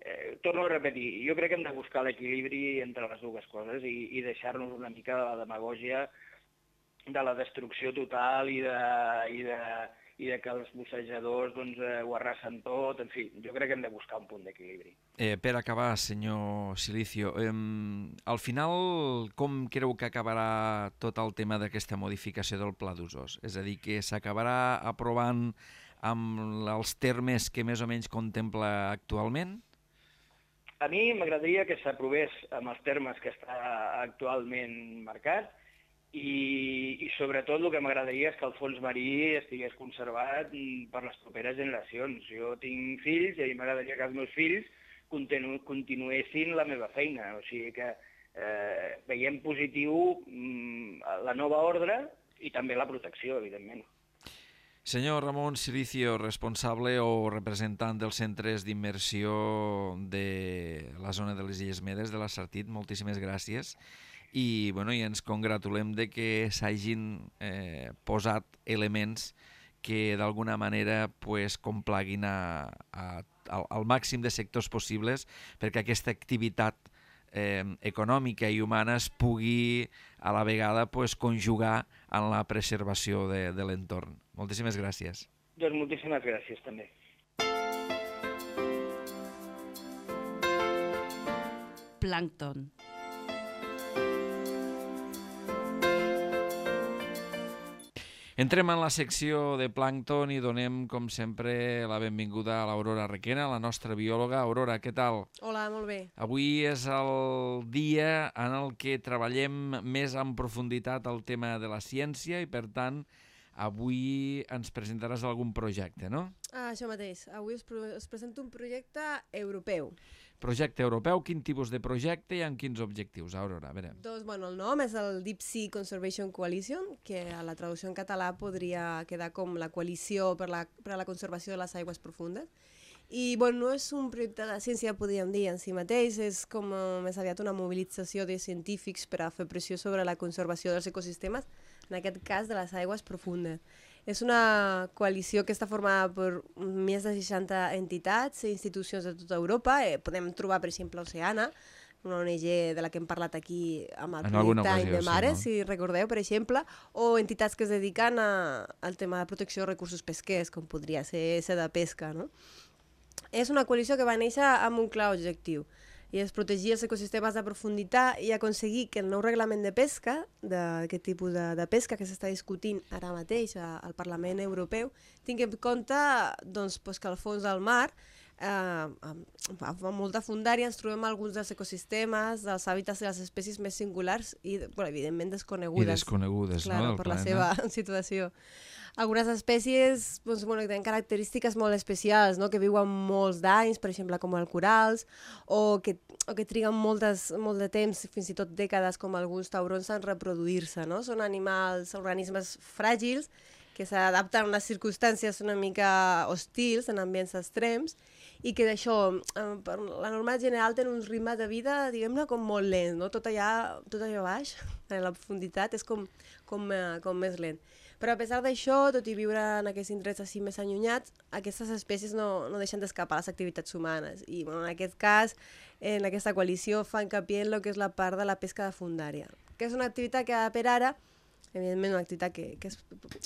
eh, torno a repetir, jo crec que hem de buscar l'equilibri entre les dues coses i, i deixar-nos una mica de la demagògia de la destrucció total i de, i de, i de que els bussejadors doncs, eh, ho arrasen tot. En fi, jo crec que hem de buscar un punt d'equilibri. Eh, per acabar, senyor Silicio, eh, al final com creu que acabarà tot el tema d'aquesta modificació del pla d'usos? És a dir, que s'acabarà aprovant amb els termes que més o menys contempla actualment? A mi m'agradaria que s'aprovés amb els termes que està actualment marcat i, i sobretot el que m'agradaria és que el fons marí estigués conservat per les properes generacions. Jo tinc fills i m'agradaria que els meus fills continu, continuessin la meva feina, o sigui que eh, veiem positiu mm, la nova ordre i també la protecció, evidentment. Senyor Ramon Silicio, responsable o representant dels centres d'immersió de la zona de les Illes Medes, de la Sartit, moltíssimes gràcies. I, bueno, i ens congratulem de que s'hagin eh, posat elements que d'alguna manera pues, complaguin a, a, al, al màxim de sectors possibles perquè aquesta activitat eh, econòmica i humana es pugui a la vegada pues, conjugar en la preservació de, de l'entorn. Moltíssimes gràcies. Doncs moltíssimes gràcies també. Plàncton. Entrem en la secció de plàncton i donem, com sempre, la benvinguda a l'Aurora Requena, la nostra biòloga. Aurora, què tal? Hola, molt bé. Avui és el dia en el que treballem més en profunditat el tema de la ciència i, per tant, avui ens presentaràs algun projecte, no? Ah, això mateix. Avui us, us presento un projecte europeu. Projecte europeu, quin tipus de projecte i amb quins objectius, Aurora? A veure. Doncs, bueno, el nom és el Deep Sea Conservation Coalition, que a la traducció en català podria quedar com la coalició per la, per a la conservació de les aigües profundes. I, bueno, no és un projecte de ciència, podríem dir, en si mateix, és com uh, més aviat una mobilització de científics per a fer pressió sobre la conservació dels ecosistemes, en aquest cas de les aigües profundes. És una coalició que està formada per més de seixanta entitats i institucions de tota Europa. Eh, podem trobar, per exemple, Oceana, una O N G de la que hem parlat aquí amb el projecte Any de Mares, sí, no? Si recordeu, per exemple, o entitats que es dediquen a, al tema de protecció de recursos pesquers, com podria ser Seda Pesca, no? És una coalició que va néixer amb un clar objectiu, i és protegir els ecosistemes de profunditat i aconseguir que el nou reglament de pesca, d'aquest tipus de, de pesca que s'està discutint ara mateix al Parlament Europeu, tingui en compte doncs, pues, que al fons del mar, eh, amb, amb molta fundària, ens trobem alguns dels ecosistemes, dels hàbitats de les espècies més singulars i, bueno, evidentment, desconegudes. I desconegudes, clar, no? Per la seva situació. Algunes espècies doncs, bueno, tenen característiques molt especials, no? Que viuen molts d'anys, per exemple, com els corals, o que, o que triguen moltes, molt de temps, fins i tot dècades, com alguns taurons, en reproduir-se. No? Són animals, organismes fràgils, que s'adapten a unes circumstàncies una mica hostils, en ambients extrems, i que d'això, per la norma general, tenen un ritme de vida, diguem-ne, com molt lent, no? Tot allà, tot allà baix, en la profunditat, és com, com, com més lent. Però a pesar d'això, tot i viure en aquests indrets així més allunyats, aquestes espècies no, no deixen d'escapar a les activitats humanes. I bueno, en aquest cas, en aquesta coalició, fa hincapié en el que és la part de la pesca de fundària, que és una activitat que per ara, evidentment una activitat que, que es,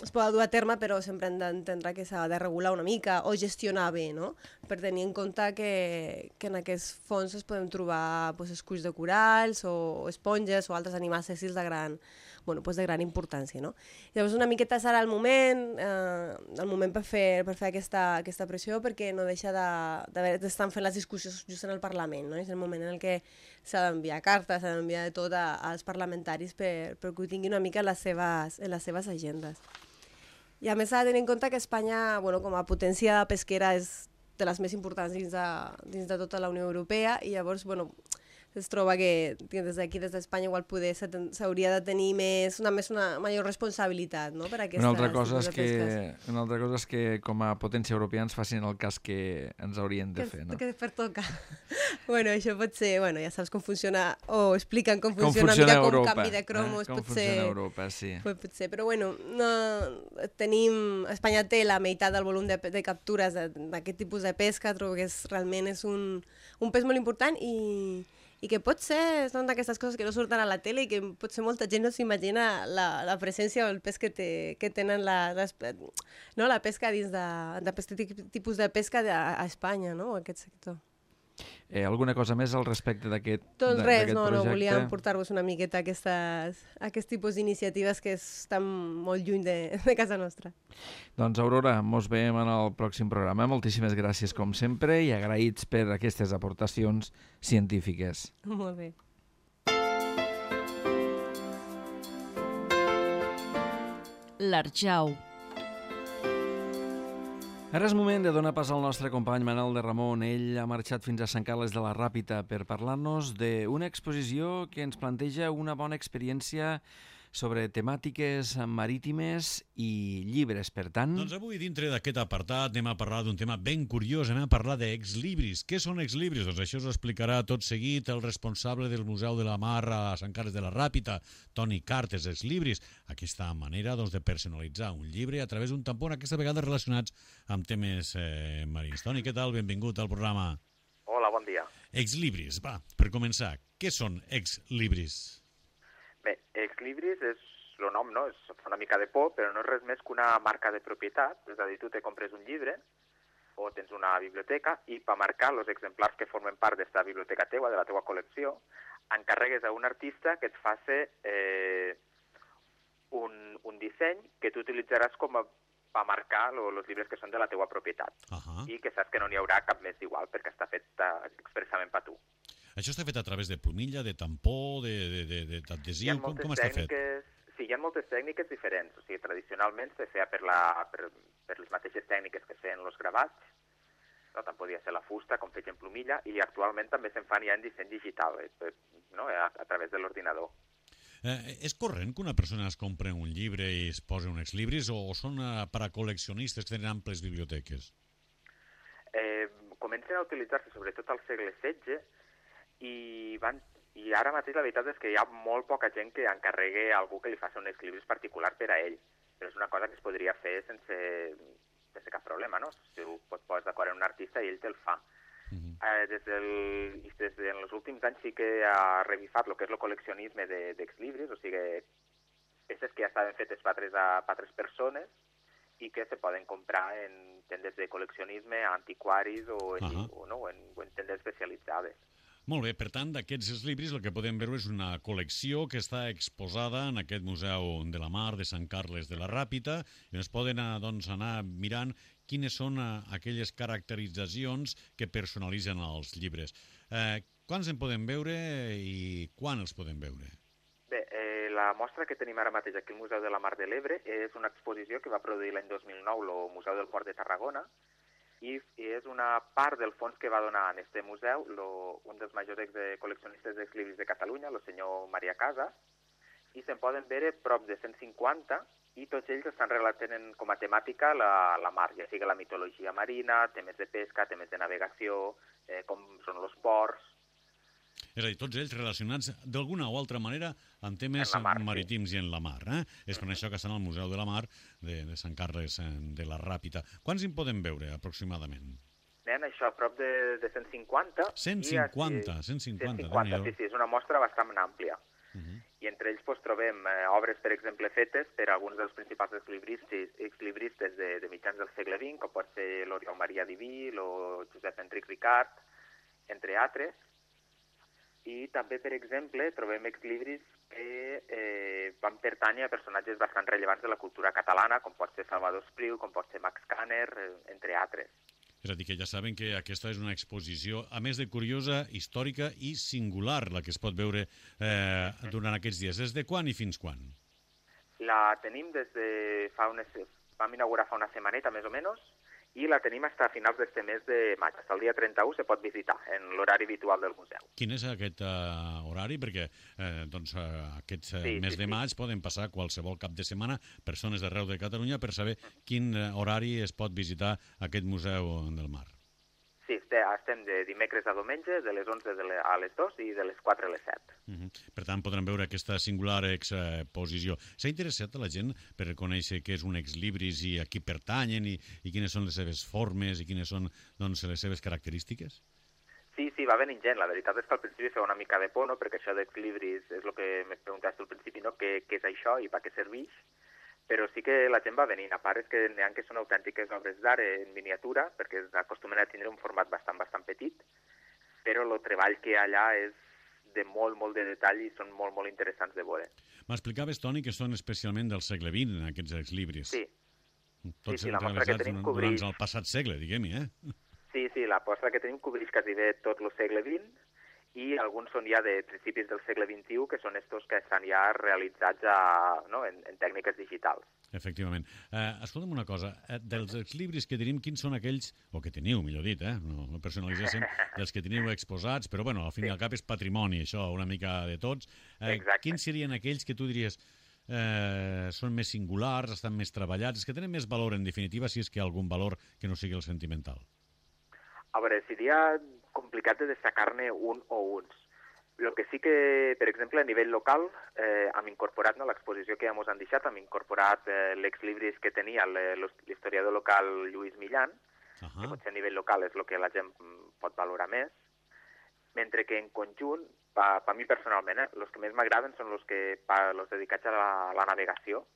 es pot dur a terme, però sempre hem d'entendre que s'ha de regular una mica o gestionar bé, no? Per tenir en compte que, que en aquests fons es poden trobar pues, esculls de coralls o, o esponges o altres animals sèssils de gran, bueno, pues de gran importància, no? Llavors una miqueta serà el moment, eh, el moment per fer, per fer aquesta, aquesta pressió, perquè no deixa d'estar de, fent les discussions just en el Parlament, no? És el moment en el que s'ha d'enviar cartes, s'ha d'enviar de tot a, als parlamentaris per, per que ho tinguin una mica en les seves, en les seves agendes. I a més s'ha de tenir en compte que Espanya, bueno, com a potència pesquera, és de les més importants dins de, dins de tota la Unió Europea, i llavors, bueno, es troba que des d'aquí, des d'Espanya, igual poder s'hauria de tenir més, una, més una major responsabilitat, no?, per aquestes una altra cosa tipus de pesques. Que, una altra cosa és que com a potència europea ens facin el cas que ens haurien de que, fer, no? Que pertoca. Bueno, això pot ser, bueno, ja saps com funciona, o expliquen com funciona, com funciona una mica Europa, com canvi de cromos, eh? Com pot funciona ser, Europa, sí. Pot, pot ser, però bueno, no, tenim, Espanya té la meitat del volum de, de captures d'aquest tipus de pesca, trobo que és, realment és un, un pes molt important i i que pot ser, són d'aquestes coses que no surten a la tele i que potser molta gent no s'imagina la, la presència o el pes que, té, que tenen la, les, no, la pesca dins d'aquest tipus de pesca de, a Espanya, no?, aquest sector. Eh, alguna cosa més al respecte d'aquest projecte? Doncs res, no, no, volíem portar-vos una miqueta aquestes, aquest tipus d'iniciatives que estan molt lluny de, de casa nostra. Doncs Aurora, mos veiem en el pròxim programa. Moltíssimes gràcies com sempre i agraïts per aquestes aportacions científiques. Molt bé. l'Arjau. Ara és moment de donar pas al nostre company Manel de Ramon. Ell ha marxat fins a Sant Carles de la Ràpita per parlar-nos d'una exposició que ens planteja una bona experiència sobre temàtiques marítimes i llibres, per tant... Doncs avui, dintre d'aquest apartat, anem a parlar d'un tema ben curiós, anem a parlar d'exlibris. Què són exlibris? Doncs això us ho explicarà tot seguit el responsable del Museu de la Mar a Sant Carles de la Ràpita, Toni Cartes, exlibris. Aquesta manera doncs, de personalitzar un llibre a través d'un tampó, aquesta vegada relacionats amb temes eh, marins. Toni, què tal? Benvingut al programa. Hola, bon dia. Exlibris, va, per començar, què són exlibris? Bé, exlibris és el nom, no? És fa una mica de por, però no és res més que una marca de propietat. És a dir, tu te compres un llibre o tens una biblioteca i per marcar els exemplars que formen part d'aquesta biblioteca teua, de la teua col·lecció, encarregues a un artista que et faci eh, un, un disseny que tu utilitzaràs com a per marcar els llibres que són de la teua propietat. Uh-huh. I que saps que no n'hi haurà cap més igual perquè està fet uh, expressament per tu. Això està fet a través de plomilla, de tampó, d'adhesiu? Com, com està fet? Sí, hi ha moltes tècniques diferents. O sigui, tradicionalment se feia per, la, per, per les mateixes tècniques que feien els gravats, no? Tant podia ser la fusta com feien plomilla, i actualment també se'n fan ja en disseny digital, eh, no? a, a través de l'ordinador. Eh, és corrent que una persona es compri un llibre i es posi un exlibris o, o són eh, per a col·leccionistes que tenen amples biblioteques? Eh, comencen a utilitzar-se sobretot al segle setze i, van, i ara mateix la veritat és que hi ha molt poca gent que encarregue a algú que li faci un exlibris particular per a ell. Però és una cosa que es podria fer sense, sense cap problema, no? Si tu pots posar d'acord amb un artista i ell te'l fa. Uh-huh. eh, des, del, des de els últims anys sí que ha revifat el que és el col·leccionisme d'exlibris, de, o sigui, peces que ja estaven fetes per altres, per altres persones i que se poden comprar en tendes de col·leccionisme, antiquaris o en, uh-huh. o, no, o en, o en tendes especialitzades. Molt bé, per tant, d'aquests exlibris el que podem veure és una col·lecció que està exposada en aquest Museu de la Mar de Sant Carles de la Ràpita i on es poden doncs, anar mirant quines són aquelles caracteritzacions que personalitzen els llibres. Eh, quants en podem veure i quan els podem veure? Bé, eh, la mostra que tenim ara mateix aquí al Museu de la Mar de l'Ebre és una exposició que va produir l'any dos mil nou el Museu del Port de Tarragona i és una part del fons que va donar en este museu lo, un dels majors de col·leccionistes d'exlibris de Catalunya, el senyor Maria Casas, i se'n poden veure prop de cent cinquanta i tots ells estan relatant com a temàtica la, la mar, ja sigui la mitologia marina, temes de pesca, temes de navegació, eh, com són els ports. És a dir, tots ells relacionats d'alguna o altra manera amb temes mar, marítims sí. i en la mar. Eh? És per això que estan al Museu de la Mar de, de Sant Carles de la Ràpita. Quants en podem veure, aproximadament? Nen, això, a prop de, de cent cinquanta. cent cinquanta, cent cinquanta. cent cinquanta, sí, sí, és una mostra bastant àmplia. Uh-huh. I entre ells pues, trobem eh, obres, per exemple, fetes per alguns dels principals exlibristes, exlibristes de, de mitjans del segle vint, com pot ser l'Oriol Maria Diví, o Josep Enric Ricart, entre altres. I també, per exemple, trobem exlibris que eh, van pertànyer a personatges bastant rellevants de la cultura catalana, com pot ser Salvador Espriu, com pot ser Max Kanner, eh, entre altres. És a dir, que ja saben que aquesta és una exposició, a més de curiosa, històrica i singular, la que es pot veure eh, durant aquests dies. Des de quan i fins quan? La tenim des de fa unes... Vam inaugurar fa una setmaneta, més o menys, i la tenim fins a finals d'este mes de maig. Fins al dia trenta-u se pot visitar en l'horari habitual del museu. Quin és aquest uh, horari? Perquè eh, doncs, uh, aquest uh, sí, mes sí, de sí. maig poden passar qualsevol cap de setmana persones d'arreu de Catalunya per saber quin uh, horari es pot visitar aquest Museu del Mar. Sí, estem de dimecres a diumenge, de les onze a les dues i de les quatre a les set. Uh -huh. Per tant, podran veure aquesta singular exposició. S'ha interessat a la gent per conèixer què és un exlibris i a qui pertanyen i, i quines són les seves formes i quines són doncs, les seves característiques? Sí, sí, va venint gent. La veritat és que al principi feia una mica de por, no? Perquè això d'exlibris és el que me preguntaste al principi, no? Què, què és això i per què serveix? Però sí que la gent va venint. A part és que n'hi ha que són autèntiques obres d'art en miniatura, perquè acostumen a tindre un format bastant, bastant petit, però el treball que hi ha allà és de molt, molt de detall i són molt, molt interessants de veure. M'explicaves, Toni, que són especialment del segle vint, aquests exlibris. Sí. Tots sí, sí, la mostra que tenim cobreix... durant el passat segle, diguem-hi, eh? Sí, sí, la mostra que tenim cobreix quasi bé tot el segle vint i alguns són ja de principis del segle vint-i-u, que són estos que estan ja realitzats a, no, en, en tècniques digitals. Efectivament. Eh, escolta'm una cosa, eh, dels exlibris que tenim, quins són aquells, o que teniu, millor dit, eh? no, no personalitzéssim, dels que teniu exposats, però bueno, al fin sí. i al cap és patrimoni, això, una mica de tots. Eh, quins serien aquells que tu diries eh, són més singulars, estan més treballats, que tenen més valor, en definitiva, si és que hi ha algun valor que no sigui el sentimental? A veure, seria complicat de destacar-ne un o uns. El que sí que, per exemple, a nivell local, eh, hem incorporat, no, l'exposició que ja ens han deixat, hem incorporat eh, l'exlibris que tenia l'historiador local Lluís Millan, uh -huh. que potser a nivell local és el que la gent pot valorar més, mentre que en conjunt, per pa mi personalment, eh, els que més m'agraden són els que pa, los dedicats a la, a la navegació.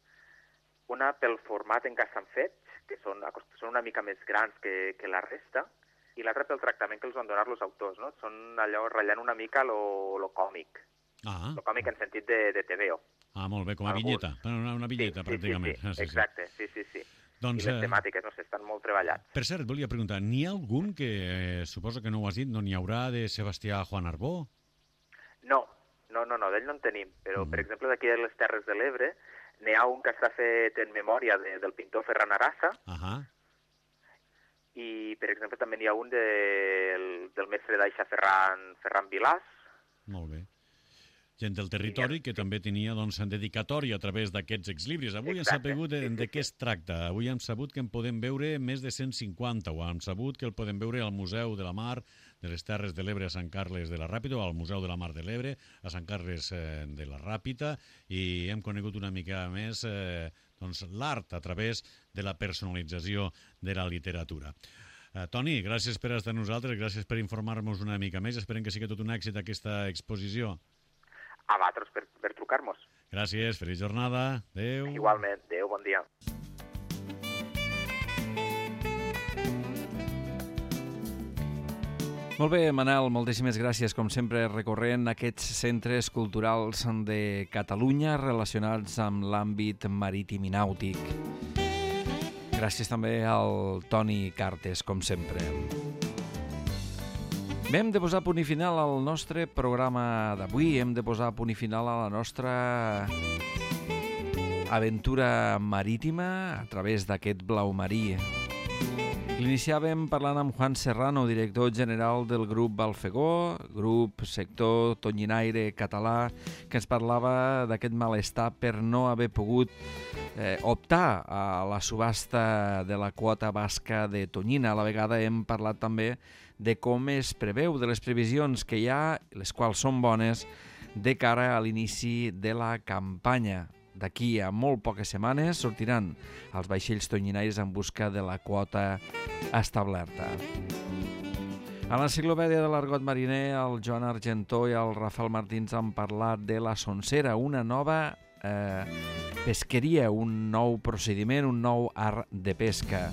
Una pel format en què s'han fet, que són, són una mica més grans que, que la resta, i l'altre pel tractament que els van donar els autors, no? Són allò ratllant una mica lo, lo còmic. Ah. Lo còmic en sentit de, de T V O. Ah, molt bé, com a Algun. vinyeta. Una, una vinyeta, sí, pràcticament. Sí, sí, sí. Exacte, sí, sí, sí. Doncs, I les temàtiques, no sé, estan molt treballats. Per cert, volia preguntar, n'hi ha algun que, eh, suposo que no ho has dit, no n'hi haurà de Sebastià Juan Arbó? No, no, no, no d'ell no en tenim, però, uh -huh. per exemple, d'aquí a les Terres de l'Ebre, n'hi ha un que està fet en memòria de, del pintor Ferran Arassa, uh -huh. i, per exemple, també n'hi ha un de, del, del mestre d'Aixa Ferran, Ferran Vilàs. Molt bé. Gent del territori que també tenia doncs, en dedicatòria a través d'aquests exlibris. Avui hem sabut de, de què es tracta. Avui hem sabut que en podem veure més de cent cinquanta, o hem sabut que el podem veure al Museu de la Mar de les Terres de l'Ebre a Sant Carles de la Ràpita, o al Museu de la Mar de l'Ebre a Sant Carles eh, de la Ràpita, i hem conegut una mica més eh, doncs, l'art a través de la personalització de la literatura. Uh, Toni, gràcies per estar amb nosaltres, gràcies per informar-nos una mica més. Esperem que sigui tot un èxit aquesta exposició. A vosaltres per, per trucar-nos. Gràcies, feliç jornada. Adéu. Igualment, adéu, bon dia. Molt bé, Manel, moltíssimes gràcies, com sempre, recorrent aquests centres culturals de Catalunya relacionats amb l'àmbit marítim i nàutic. Gràcies també al Toni Cartes, com sempre. Bé, hem de posar punt i final al nostre programa d'avui, hem de posar punt i final a la nostra aventura marítima a través d'aquest blau marí. L'iniciàvem parlant amb Juan Serrano, director general del grup Balfegó, grup sector tonyinaire català, que ens parlava d'aquest malestar per no haver pogut eh, optar a la subhasta de la quota basca de tonyina. A la vegada hem parlat també de com es preveu, de les previsions que hi ha, les quals són bones, de cara a l'inici de la campanya. D'aquí a molt poques setmanes sortiran els vaixells tonyinaires en busca de la quota establerta. A l'enciclopèdia de l'argot mariner, el Joan Argentó i el Rafael Martins han parlat de la Sonsera, una nova eh, pesqueria, un nou procediment, un nou art de pesca.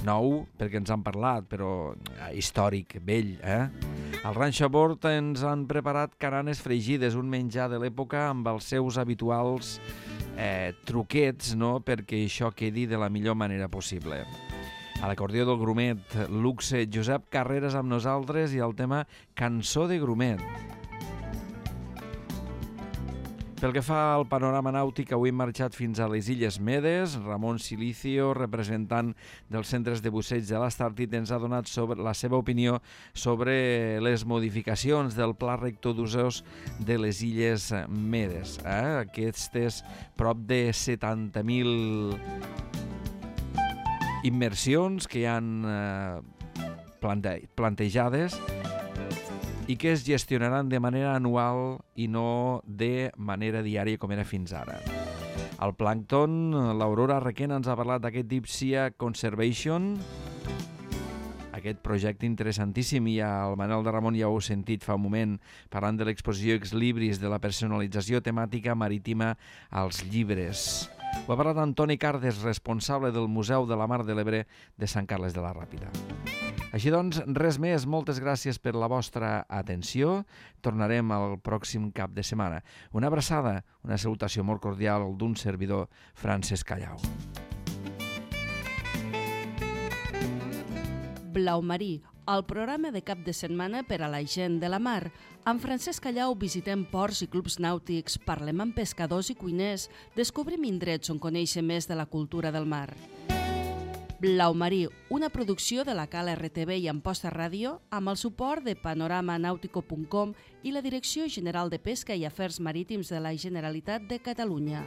Nou, perquè ens han parlat, però històric, vell, eh? Al Ranxo a Bord ens han preparat caranes fregides, un menjar de l'època amb els seus habituals eh, truquets, no?, perquè això quedi de la millor manera possible. A l'acordió del Grumet, luxe, Josep Carreras amb nosaltres i el tema Cançó de Grumet. Pel que fa al panorama nàutic, avui hem marxat fins a les Illes Medes. Ramon Silicio, representant dels centres de busseig de l'Astàrtid, ens ha donat sobre la seva opinió sobre les modificacions del pla rector d'usos de les Illes Medes. Eh? Aquestes prop de setanta mil immersions que hi han eh, plante plantejades i que es gestionaran de manera anual i no de manera diària com era fins ara. Al plàncton, l'Aurora Requena ens ha parlat d'aquest Deep Sea Conservation, aquest projecte interessantíssim, i el Manel de Ramon ja ho heu sentit fa un moment parlant de l'exposició Ex Libris, de la personalització temàtica marítima als llibres. Ho ha parlat Antoni Cardes, responsable del Museu de la Mar de l'Ebre de Sant Carles de la Ràpita. Així doncs, res més. Moltes gràcies per la vostra atenció. Tornarem el pròxim cap de setmana. Una abraçada, una salutació molt cordial d'un servidor, Francesc Callau. Blau marí, el programa de cap de setmana per a la gent de la mar. Amb Francesc Callau visitem ports i clubs nàutics, parlem amb pescadors i cuiners, descobrim indrets on conèixer més de la cultura del mar. Blau Marí, una producció de la Cal R T V i Amposta Ràdio, amb el suport de panorama nautico punt com i la Direcció General de Pesca i Afers Marítims de la Generalitat de Catalunya.